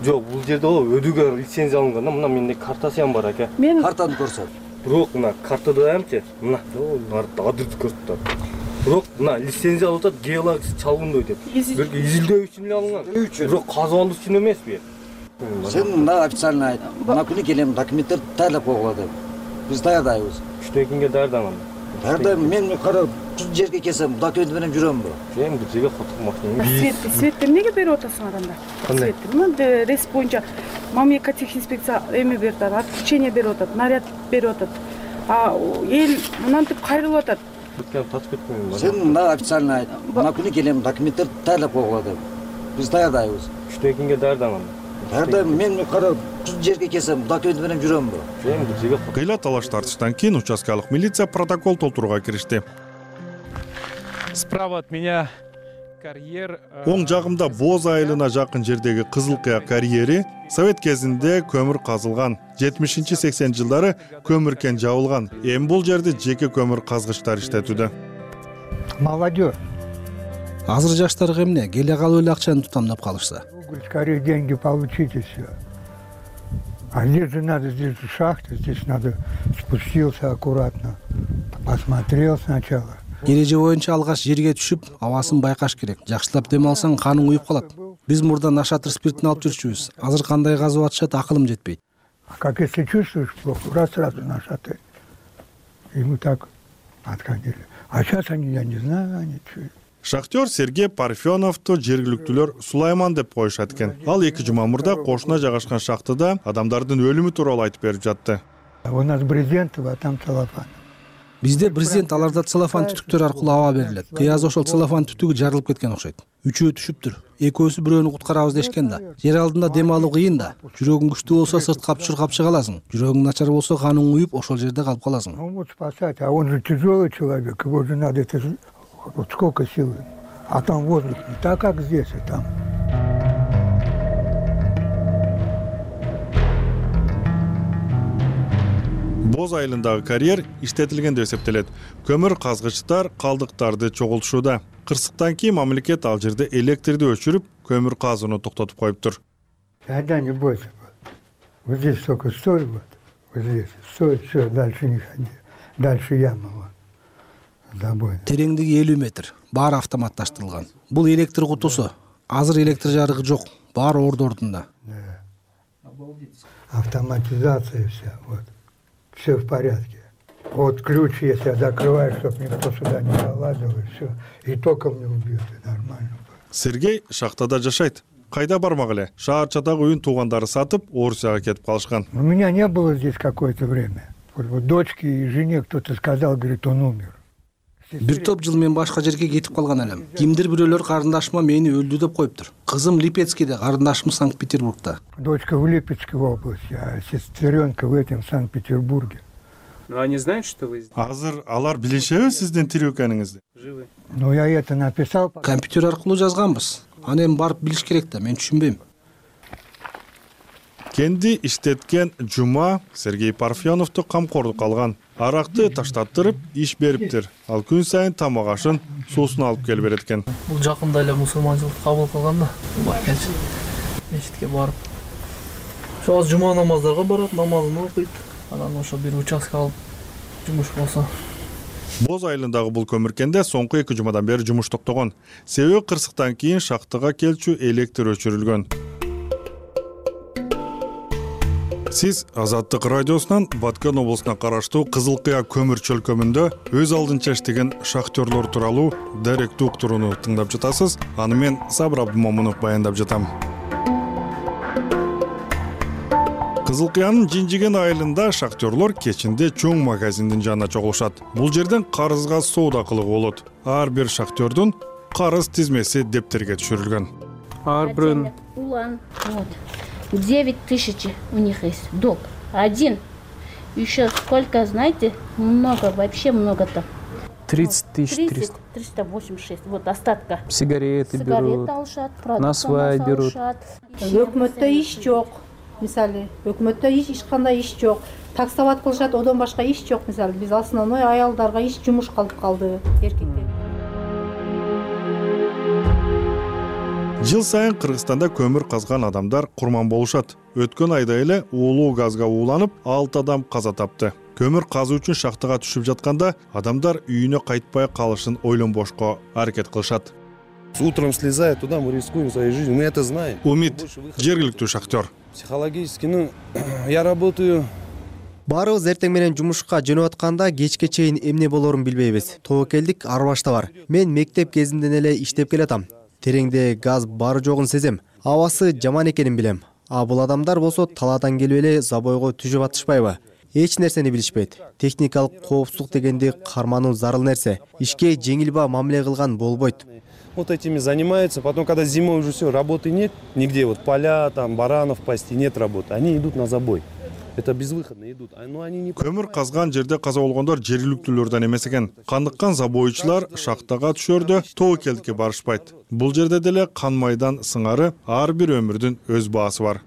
Жок, бул жерде өдүгө лицензия алынган, мына менде картасы ham бар ака. Мен картаны көрсөт. Бирок мына картада хамчы, мына адырды көрсөтөт. Бирок мына лицензия алып атат, геология чалгындоо деп. Бирок изилдөө үчүн эле алынган. Бирок казып үчүн эмеспи? Сен мына официально айт. Мына күнү келем, документтер даярдап койгула деп. Биз даярдайбыз. Үчтөн кийинге даярдаман. Даярдайм, мен кара жерге келсем, документ менен жүрөмбү? Эми бул жерге котурмакчымын. Свет, светтер эмнеге берип атасың адамдар? Кандай? Светтер, рейс боюнча мамлекеттик эме берип атат, отключение берип атат, наряд берип атат. А эл мынантип кайрылып атат. Бүткөн тачып кетпейм. Сен мына официально айт. Мына күнү келем, документтер даярдап койгула деп. Биз даярдайбыз. Үчтөн кийинге даярдаман. Даярдайм, мен кара жерге келсем, документ менен жүрөмбү? Эми бул жерге кыйла талаш тартыштан кийин участкалык милиция протокол толтурууга киришти. Справа от меня карьер. Оң жагымда Боз айылына жакын жердеги Кызыл Кыя карьери Совет кезинде көмүр казылган. жетимишинчи сексенинчи жылдары көмүр кен жабылган. Эми бул жерде жеке көмүр казгычтар иштетүүдө. Молодежь. Азыр жаштарга эмне? Келе калып эле акчаны тутамдап калышса. Скорее деньги получите все. А здесь же надо, здесь же шахта, здесь надо спустился аккуратно, посмотрел сначала. Эреже боюнча алгаш жерге түшүп, абасын байкаш керек. Жакшылап дем алсаң каның уюп калат. Биз мурда нашатыр спиртин алып жүрчүбүз. Азыр кандай казып атышат, акылым жетпейт. А как если чувствуешь плохо, раз сразу нашатырь. И мы так отходили. А сейчас они, я не знаю, они что. Шахтер Сергей Парфеновду жергиликтүүлөр Сулайман деп коюшат экен. Ал эки жума мурда кошуна жайгашкан шахтада адамдардын өлүмү тууралуу айтып берип жатты. У нас брезентово, а там целлофан. Бизде брезент, аларда целлофан түтүктөр аркылуу аба берилет. Кыяз ошол целлофан түтүгү жарылып кеткен окшойт. Үчөө түшүптүр. Экөөсү бирөөнү куткарабыз дешкен да. Жер алдында дем алуу кыйын да. Жүрөгүң күчтүү болсо сырткап чуркап чыга аласың. Жүрөгүң начар болсо каның уюп ошол жерде калып каласың. Ну вот спасать, а он же тяжелый человек, его же надо, это же вот сколько сил. А там воздух не так, как здесь, и там. Боз айылындагы карьер иштетилген деп эсептелет. Көмүр казгычтар калдыктарды чогултушууда. Кырсыктан кийин мамлекет ал жерде электрди өчүрүп, көмүр казууну токтотуп коюптур. Да, не бойся. Вот здесь только стой, вот. Вот здесь. Стой, все, дальше не ходи. Дальше яма, вот. Забой. Тереңдиги элүү метр. Баары автоматташтырылган. Бул электр кутусу. Азыр электр жарыгы жок. Баары орду ордунда. Автоматизация вся, вот. Все в порядке. Вот ключ, если я закрываю, чтобы никто сюда не залазил, и все. И током не убьет, и нормально. Сергей шахтада жашайт. Кайда бармак эле? Шаарчадагы үйүн туугандары сатып, Орусияга кетип калышкан. У меня не было здесь какое-то время. Вот, вот дочке и жене кто-то сказал, говорит, он умер. Бир топ жыл мен башка жерге кетип калган элем. Кимдир бирөөлөр карындашыма мени өлдү деп коюптур. Кызым Липецкийде, карындашым Санкт-Петербургда. Дочка в Липецкой области, а сестренка в этом Санкт-Петербурге. Ну они знают, что вы здесь? Азыр алар билишеби сиздин тирүү экениңизди? Живы. Ну я это написал. Компьютер аркылуу жазганбыз. Аны эми барып билиш керек да, мен түшүнбөйм. Кенди иштеткен Жума Сергей Парфеновду камкордукка алган. Аракты таштаттырып иш бериптир. Ал күн сайын тамак ашын, суусун алып келип берет экен. Бул жакында эле мусулманчылыкты кабыл кылган да. Мечитке барып. Ошо азыр жума намаздарга барат, намазын окуйт. Анан ошо бир участка алып жумуш болсо. Боз айылындагы бул көмүркенде соңку эки жумадан бери жумуш токтогон. Себеби кырсыктан кийин шахтага келчү электр өчүрүлгөн. Сиз Азаттык радиосунан Баткен облусуна караштуу Кызыл Кыя көмүр чөлкөмүндө өз алдынча иштеген шахтерлор тууралуу даректүү уктурууну тыңдап жатасыз. Аны мен Сабыр Абдымомунов баяндап жатам. Кызыл Кыянын Жинжиген айылында шахтерлор кечинде чоң магазиндин жанына чогулушат. Бул жерден карызга соода кылууга болот. Ар бир шахтердун карыз тизмеси дептерге түшүрүлгөн. Ар бирөөнүн улан, вот. девять тысяч у них есть долг. Один. Еще сколько, знаете, много, вообще много там. тридцать тысяч триста. триста восемьдесят шесть. Вот остатка. Сигареты берут. Сигареты алышат, на свай берут. Өкмөттө иш жок. Мисалы, өкмөттө иш эч кандай иш жок. Таксоват кылышат, одан башка иш жок. Мисалы, биз основной аялдарга иш жумуш калып калды, эркектер. Жыл сайын Кыргызстанда көмүр казган адамдар курман болушат. Өткөн айда эле уулуу газга ууланып, алты адам каза тапты. Көмүр казуу үчүн шахтага түшүп жатканда адамдар үйүнө кайтпай калышын ойлонбошко аракет кылышат. Утром слезая туда, мы рискуем своей жизнью, мы это знаем. Умит, жергиликтүү шахтер. Психологически, ну, я работаю. Баарыбыз эртең менен жумушка жөнөп атканда кечке чейин эмне болорун билбейбиз. Тобокелдик арбашта бар. Мен мектеп кезинден эле иштеп келатам. Тереңде газ бары жогун сезем. Абасы жаман экенин билем. А бул адамдар болсо талаадан келип эле забойго түшүп атышпайбы? Эч нерсени билишпейт. Техникалык коопсуздук дегенди кармануу зарыл нерсе. Ишке жеңилба мамиле кылган болбойт. Вот этими занимаются, потом, когда зимой уже все, работы нет, нигде, вот поля, там, баранов пасти, нет работы, они идут на забой. Это безвыходно идут. Но они не... Көмүр казган жерде каза болгондор жергиликтүүлөрдөн эмес экен. Кандыккан забойчулар шахтага түшөрдө тобокелдикке барышпайт. Бул жерде деле кан майдан сыңары ар бир өмүрдүн өз баасы бар.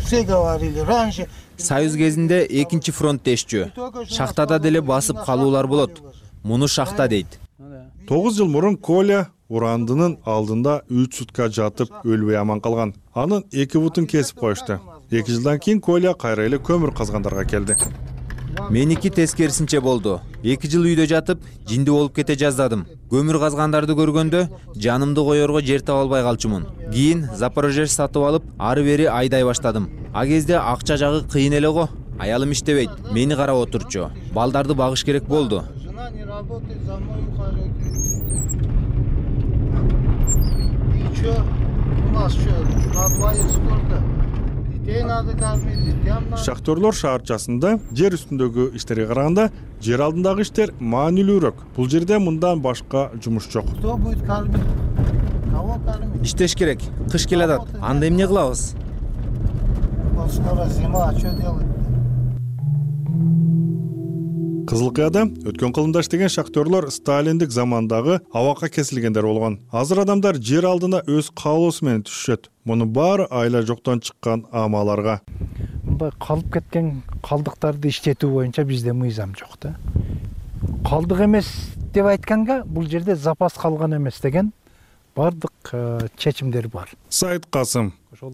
Все говорили раньше. Союз кезинде экинчи фронт дешчү. Шахтада деле басып калуулар болот. Муну шахта дейт. тогуз жыл мурун Коля урандынын алдында үч сутка жатып өлбөй аман калган. Анын эки бутун кесип коюшту. эки жылдан кийин Коля кайра эле көмүр казгандарга келди. Меники тескерисинче болду. эки жыл үйдө жатып, жинди болуп кете жаздадым. Көмүр казгандарды көргөндө жанымды коерго жер таба албай калчумун. Кийин Запорожец сатып алып, ары бери айдай баштадым. А кезде акча жагы кыйын эле го. Аялым иштебейт, мени карап отурчу. Балдарды багыш керек болду. Шахтерлор шаарчасында жер үстүндөгү иштерге караганда жер алдындагы иштер маанилүүрөөк. Бул жерде мындан башка жумуш жок. Иштеш керек. Кыш келе атат. Анда эмне кылабыз? Кызыл Кыяда өткөн кылымда иштеген шахтерлор сталиндик замандагы абакка кесилгендер болгон. Азыр адамдар жер алдына өз каалоосу менен түшүшөт. Мунун баары айла жоктон чыккан амаларга. Мындай калып кеткен калдыктарды иштетүү боюнча бизде мыйзам жок да. Калдык эмес деп айтканга бул жерде запас калган эмес деген бардык чечимдер бар. Сайыт Касым,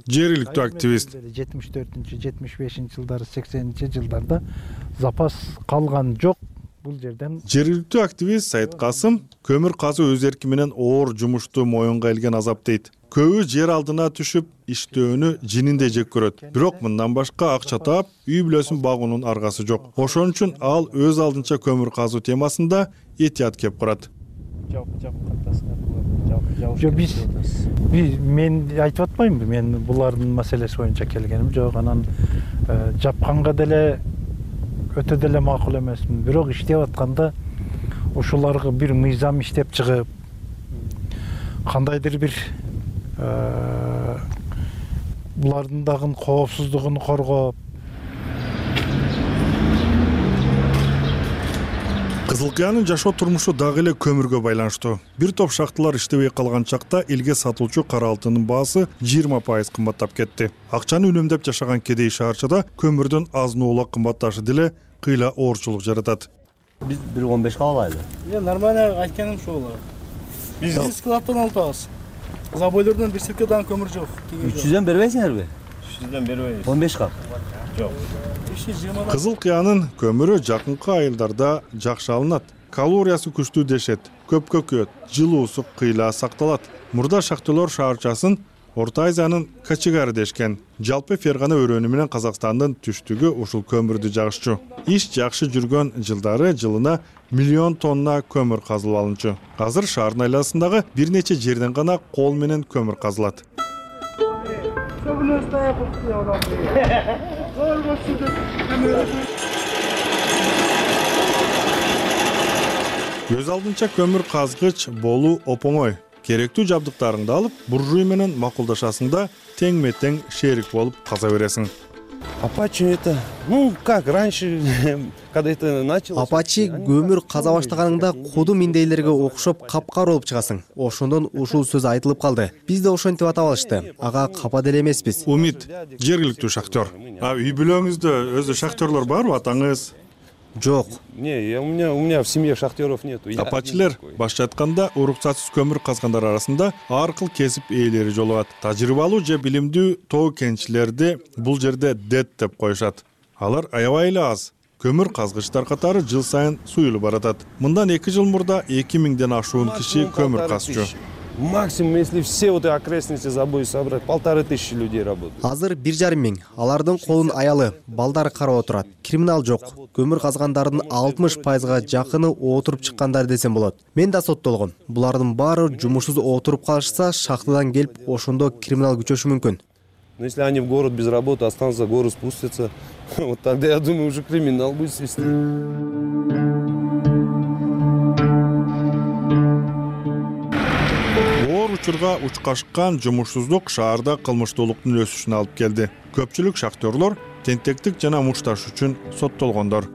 жергиликтүү активист. жетимиш төртүнчү жетимиш бешинчи жылдары сексенинчи жылдарда запас калган жок бул жерден. Жергиликтүү активист Сайыт Касым көмүр казуу өз эрки менен оор жумушту моюнга илген азап дейт. Көбү жер алдына түшүп иштөөнү жининдей жек көрөт. Бирок мындан башка акча таап, үй бүлөсүн багуунун аргасы жок. Ошон үчүн ал өз алдынча көмүр казуу темасында этият кеп курат. Жок, биз мен айтып атпаймынбы, мен булардын маселеси боюнча келгеним жок. Анан жапканга деле өтө деле макул эмесмин. Бирок иштеп атканда ушуларга бир мыйзам иштеп чыгып, кандайдыр бир булардын дагы коопсуздугун коргоп. Кызыл Кыянын жашоо турмушу дагы эле көмүргө байланыштуу. Бир топ шахталар иштебей калган чакта элге сатылчу кара алтындын баасы жыйырма пайыз кымбаттап кетти. Акчаны үнөмдөп жашаган кедей шаарчада көмүрдүн азын-оолак кымбатташы деле кыйла оорчулук жаратат. Биз бир он беш калабайлы. Мен нормально айтканым ушул болот. Биз складтан алабыз. Забойлордон бир сеткадан көмүр жок. үч жүздөн бербейсиңерби? үч жүздөн бербейбиз. он беш кап. Жок. Кызыл Кыянын көмүрү жакынкы айылдарда жакшы алынат. Калориясы күчтүү дешет, көпкө күйөт, жылуусу кыйла сакталат. Мурда шахтерлор шаарчасын Орто Азиянын качыгары дешкен. Жалпы Фергана өрөөнү менен Казакстандын түштүгү ушул көмүрдү жагышчу. Иш жакшы жүргөн жылдары жылына миллион тонна көмүр казылып алынчу. Азыр шаардын айласындагы бир нече жерден гана кол менен көмүр казылат. Өз алдынча көмүр казгыч болуу оңой. Керектүү жабдыктарыңды алып, буржуй менен макулдашасың да тең-метең шерик болуп каза бересиң. Апачи это, ну как раньше, когда это началось. Апачи көмүр каза баштаганыңда куду миндейлерге окшоп капкар болуп чыгасың. Ошондон ушул сөз айтылып калды. Биз да ошентип атап алышты. Ага капа деле эмеспиз. Умит, жергиликтүү шахтер. А үй бүлөңүздө өзү шахтерлор барбы, атаңыз? Жок. Не, у меня у меня в семье шахтеров нету. Апачилер башча айтканда уруксатсыз көмүр казгандар арасында ар кыл кесип ээлери жолугат. Тажрыйбалуу же билимдүү тоо кенчилерди бул жерде дет деп коюшат. Алар аябай эле аз. Көмүр казгычтар катары жыл сайын суюлуп баратат. Мындан эки жыл мурда эки миңден ашуун киши көмүр казчу. Максимум, если все вот окрестности забой собрать, полторы тысячи людей работают. Азыр бир жарым миң. Алардын колун аялы, балдары карап отурат. Криминал жок. Көмүр казгандардын алтымыш пайызга жакыны отуруп чыккандар десем болот. Мен да соттолгон. Булардын баары жумушсуз отуруп калышса, шахтадан келип, ошондо криминал күчөшү мүмкүн. Но если они в город без работы останутся, горы спустятся, вот тогда, я думаю, уже криминал будет свести. Оор учурга учкашкан жумушсуздук шаарда кылмыштуулуктун өсүшүнө алып келди. Көпчүлүк шахтерлор тентектик жана мушташ үчүн соттолгондор.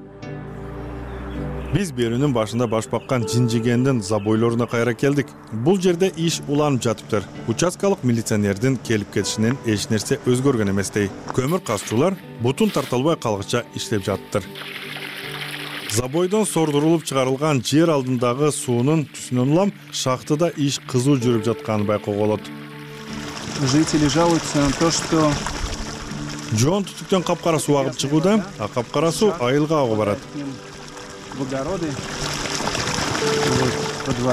Биз берүүнүн башында баш баккан Жинжигендин забойлоруна кайра келдик. Бул жерде иш уланып жатыптыр. Участкалык милиционердин келип кетишинен эч нерсе өзгөргөн эместей. Көмүр казчулар бутун тартылбай калгыча иштеп жатыптыр. Забойдон сордурулуп чыгарылган жер алдындагы суунун түсүнөн улам шахтада иш кызуу жүрүп жатканын байкоого болот. Жители жалуются на то, что жоон түтүктөн капкара суу агып чыгууда, а капкара суу айылга агып барат.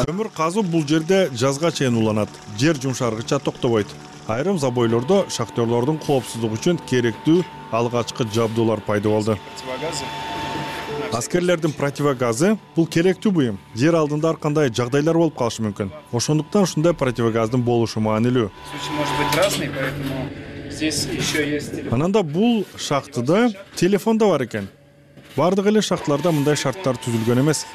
Көмүр казуу бул жерде жазга чейин уланат. Жер жумшаргыча токтобойт. Айрым забойлордо шахтерлордун коопсуздугу үчүн керектүү алгачкы жабдуулар пайда болду. Аскерлердин противогазы бул керектүү буюм. Жер алдында ар кандай жагдайлар болуп калышы мүмкүн. Ошондуктан ушундай противогаздын болушу маанилүү. Ананда бул шахтыда телефон да бар экен. Бардык эле шахталарда мындай шарттар түзүлгөн эмес.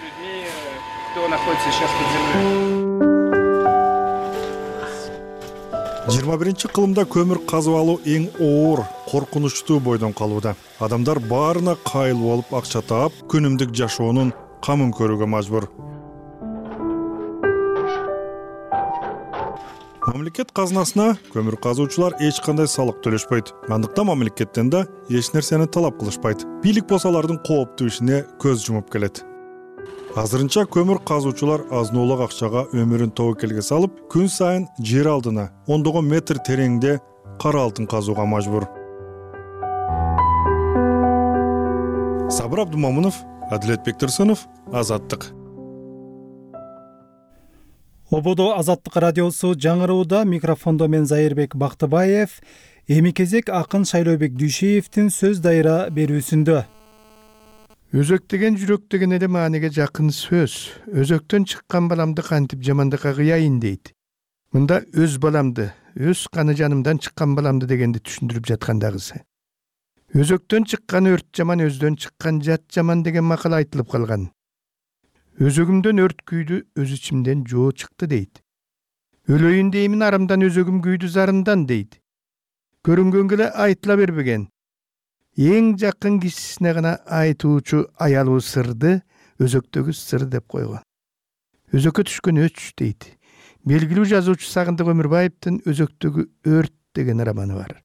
жыйырма биринчи кылымда көмүр казып алуу эң оор, коркунучтуу бойдон калууда. Адамдар баарына кайыл болуп акча таап, күнүмдүк жашоонун камын көрүүгө мажбур. Мамлекет казынасына көмүр казуучулар эч кандай салык төлөшпөйт. Андыктан мамлекеттен да эч нерсени талап кылышпайт. Бийлик болсо алардын кооптуу ишине көз жумуп келет. Азырынча көмүр казуучулар азнолук акчага өмүрүн тобокелге салып, күн сайын жер алдына ондогон метр тереңде кара алтын казууга мажбур. Сабыр Абдумамунов, Адилет Бектурсунов, Азаттык. Ободо Азаттык радиосу жаңырууда, микрофондо мен Зайырбек Бактыбаев. Эми кезек акын Шайлообек Дүйшеевдин сөз дайра берүүсүндө. Өзөк деген жүрөк деген эле мааниге жакын сөз. Өзөктөн чыккан баламды кантип жамандыкка кыяйын дейт. Мында өз баламды, өз каны жанымдан чыккан баламды дегенди түшүндүрүп жаткандагысы. Өзөктөн чыккан өрт жаман, өздөн чыккан жат жаман деген макал айтылып калган. Өзөгүмдөн өрт күйдү, өз ичимден жоо чыкты дейт. Өлөйүн деймин арамдан, өзөгүм күйдү зарымдан дейт. Көрүнгөнгө эле айтыла бербеген. Эң жакын кишисине гана айтуучу аялуу сырды өзөктөгү сыр деп койгон. Өзөккө түшкөн өч дейт. Белгилүү жазуучу Сагындык Өмүрбаевдин Өзөктөгү өрт деген романы бар.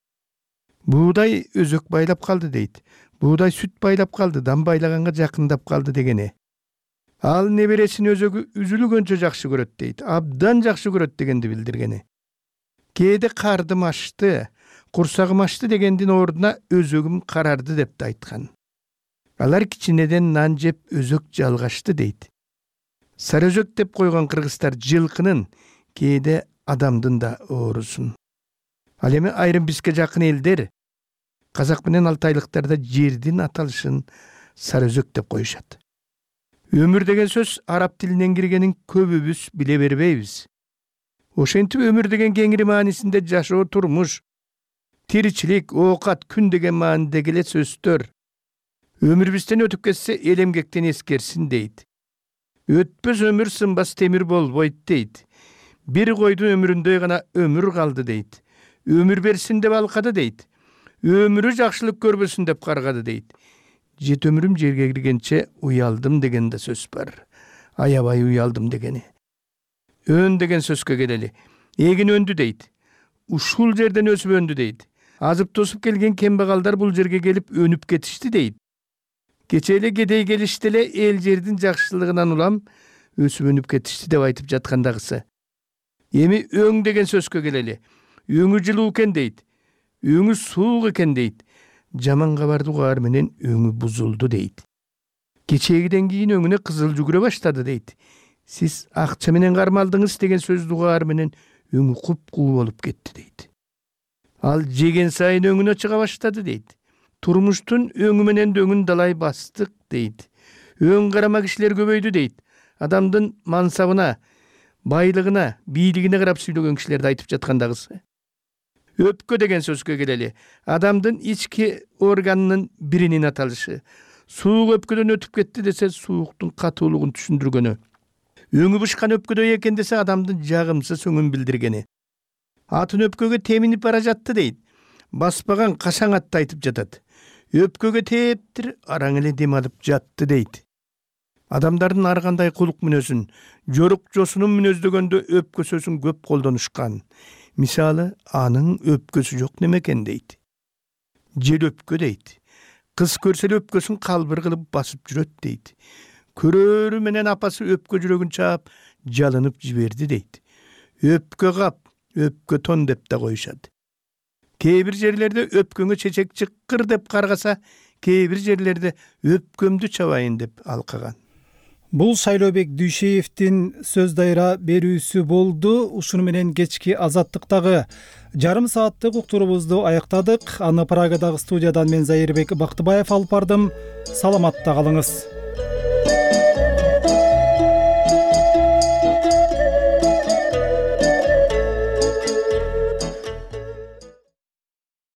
Буудай өзөк байлап калды дейт. Буудай сүт байлап калды, дам байлаганга жакындап калды дегени. Ал небересин өзөгү үзүлгөнчө жакшы көрөт дейт. Абдан жакшы көрөт дегенди билдиргени. Кээде кардым ашты, курсагым ашты дегендин ордуна өзөгүм карарды деп да айткан. Алар кичинеден нан жеп өзөк жалгашты дейт. Сары өзөк деп койгон кыргыздар жылкынын, кээде адамдын да оорусун. Ал эми айрым бизге жакын элдер казак менен алтайлыктарда жердин аталышын сары өзөк деп коюшат. Өмүр деген сөз араб тилинен киргенин көбүбүз биле бербейбиз. Ошентип өмүр деген кеңири маанисинде жашоо, турмуш, тиричилик, оокат, күн деген маанидеги эле сөздөр. Өмүр бизден өтүп кетсе, эл эмгектен эскерсин дейт. Өтпөс өмүр сынбас темир болбойт дейт. Бир койдун өмүрүндөй гана өмүр калды дейт. Өмүр берсин деп алкады дейт. Өмүрү жакшылык көрбөсүн деп каргады дейт. Жет өмүрүм жерге киргенче уялдым деген да сөз бар. Аябай уялдым дегени. Өн деген сөзгө келели. Эгин өндү дейт. Ушул жерден өсүп өндү дейт. Азып тосуп келген кембагалдар бул жерге келип өнүп кетишти дейт. Кече эле кедей келишти эле эл жердин жакшылыгынан улам өсүп өнүп кетишти деп айтып жаткандагысы. Эми өң деген сөзгө келели. Өңү жылуу экен дейт. Өңү суук экен дейт. Жаман кабарды угаар менен өңү бузулду дейт. Кечегиден кийин өңүнө кызыл жүгүрө баштады дейт. Сиз акча менен кармалдыңыз деген сөздү угаар менен өңү куп-куу болуп кетти дейт. Ал жеген сайын өңүнө чыга баштады дейт. Турмуштун өңү менен дөңүн далай бастык дейт. Өң карама кишилер көбөйдү дейт. Адамдын мансабына, байлыгына, бийлигине карап сүйлөгөн кишилерди айтып жаткандагысы. Өпкө деген сөзгө келели. Адамдын ички органынын биринин аталышы. Суук өпкөдөн өтүп кетти десе, сууктун катуулугун түшүндүргөнү. Өңү бышкан өпкөдөй экен десе, адамдын жагымсыз өңүн билдиргени. Атын өпкөгө теминип бара жатты дейт. Баспаган кашаң атты айтып жатат. Өпкөгө тээптир, араң эле дем алып жатты дейт. Адамдардын ар кандай кулук мүнөзүн, жорук жосунун мүнөздөгөндө өпкөсөсүн көп колдонушкан. Мисалы, анын өпкөсү жок немекен дейт. Жел өпкө дейт. Кыз көрсө эле өпкөсүн калбыр кылып басып жүрөт дейт. Көрөрү менен апасы өпкө жүрөгүн чаап, жалынып жиберди дейт. Өпкө кап, өпкө тон деп да коюшат. Кээ бир жерлерде өпкөнгө чечек чыккыр деп каргаса, кээ бир жерлерде өпкөмдү чабайын деп алкаган. Бул Шайлообек Дүйшеевдин сөз дайра берүүсү болду. Ушуну менен кечки Азаттыктагы жарым сааттык уктурубузду аяктадык. Аны Прагадагы студиядан мен Зайырбек Бактыбаев алып бардым. Саламатта калыңыз.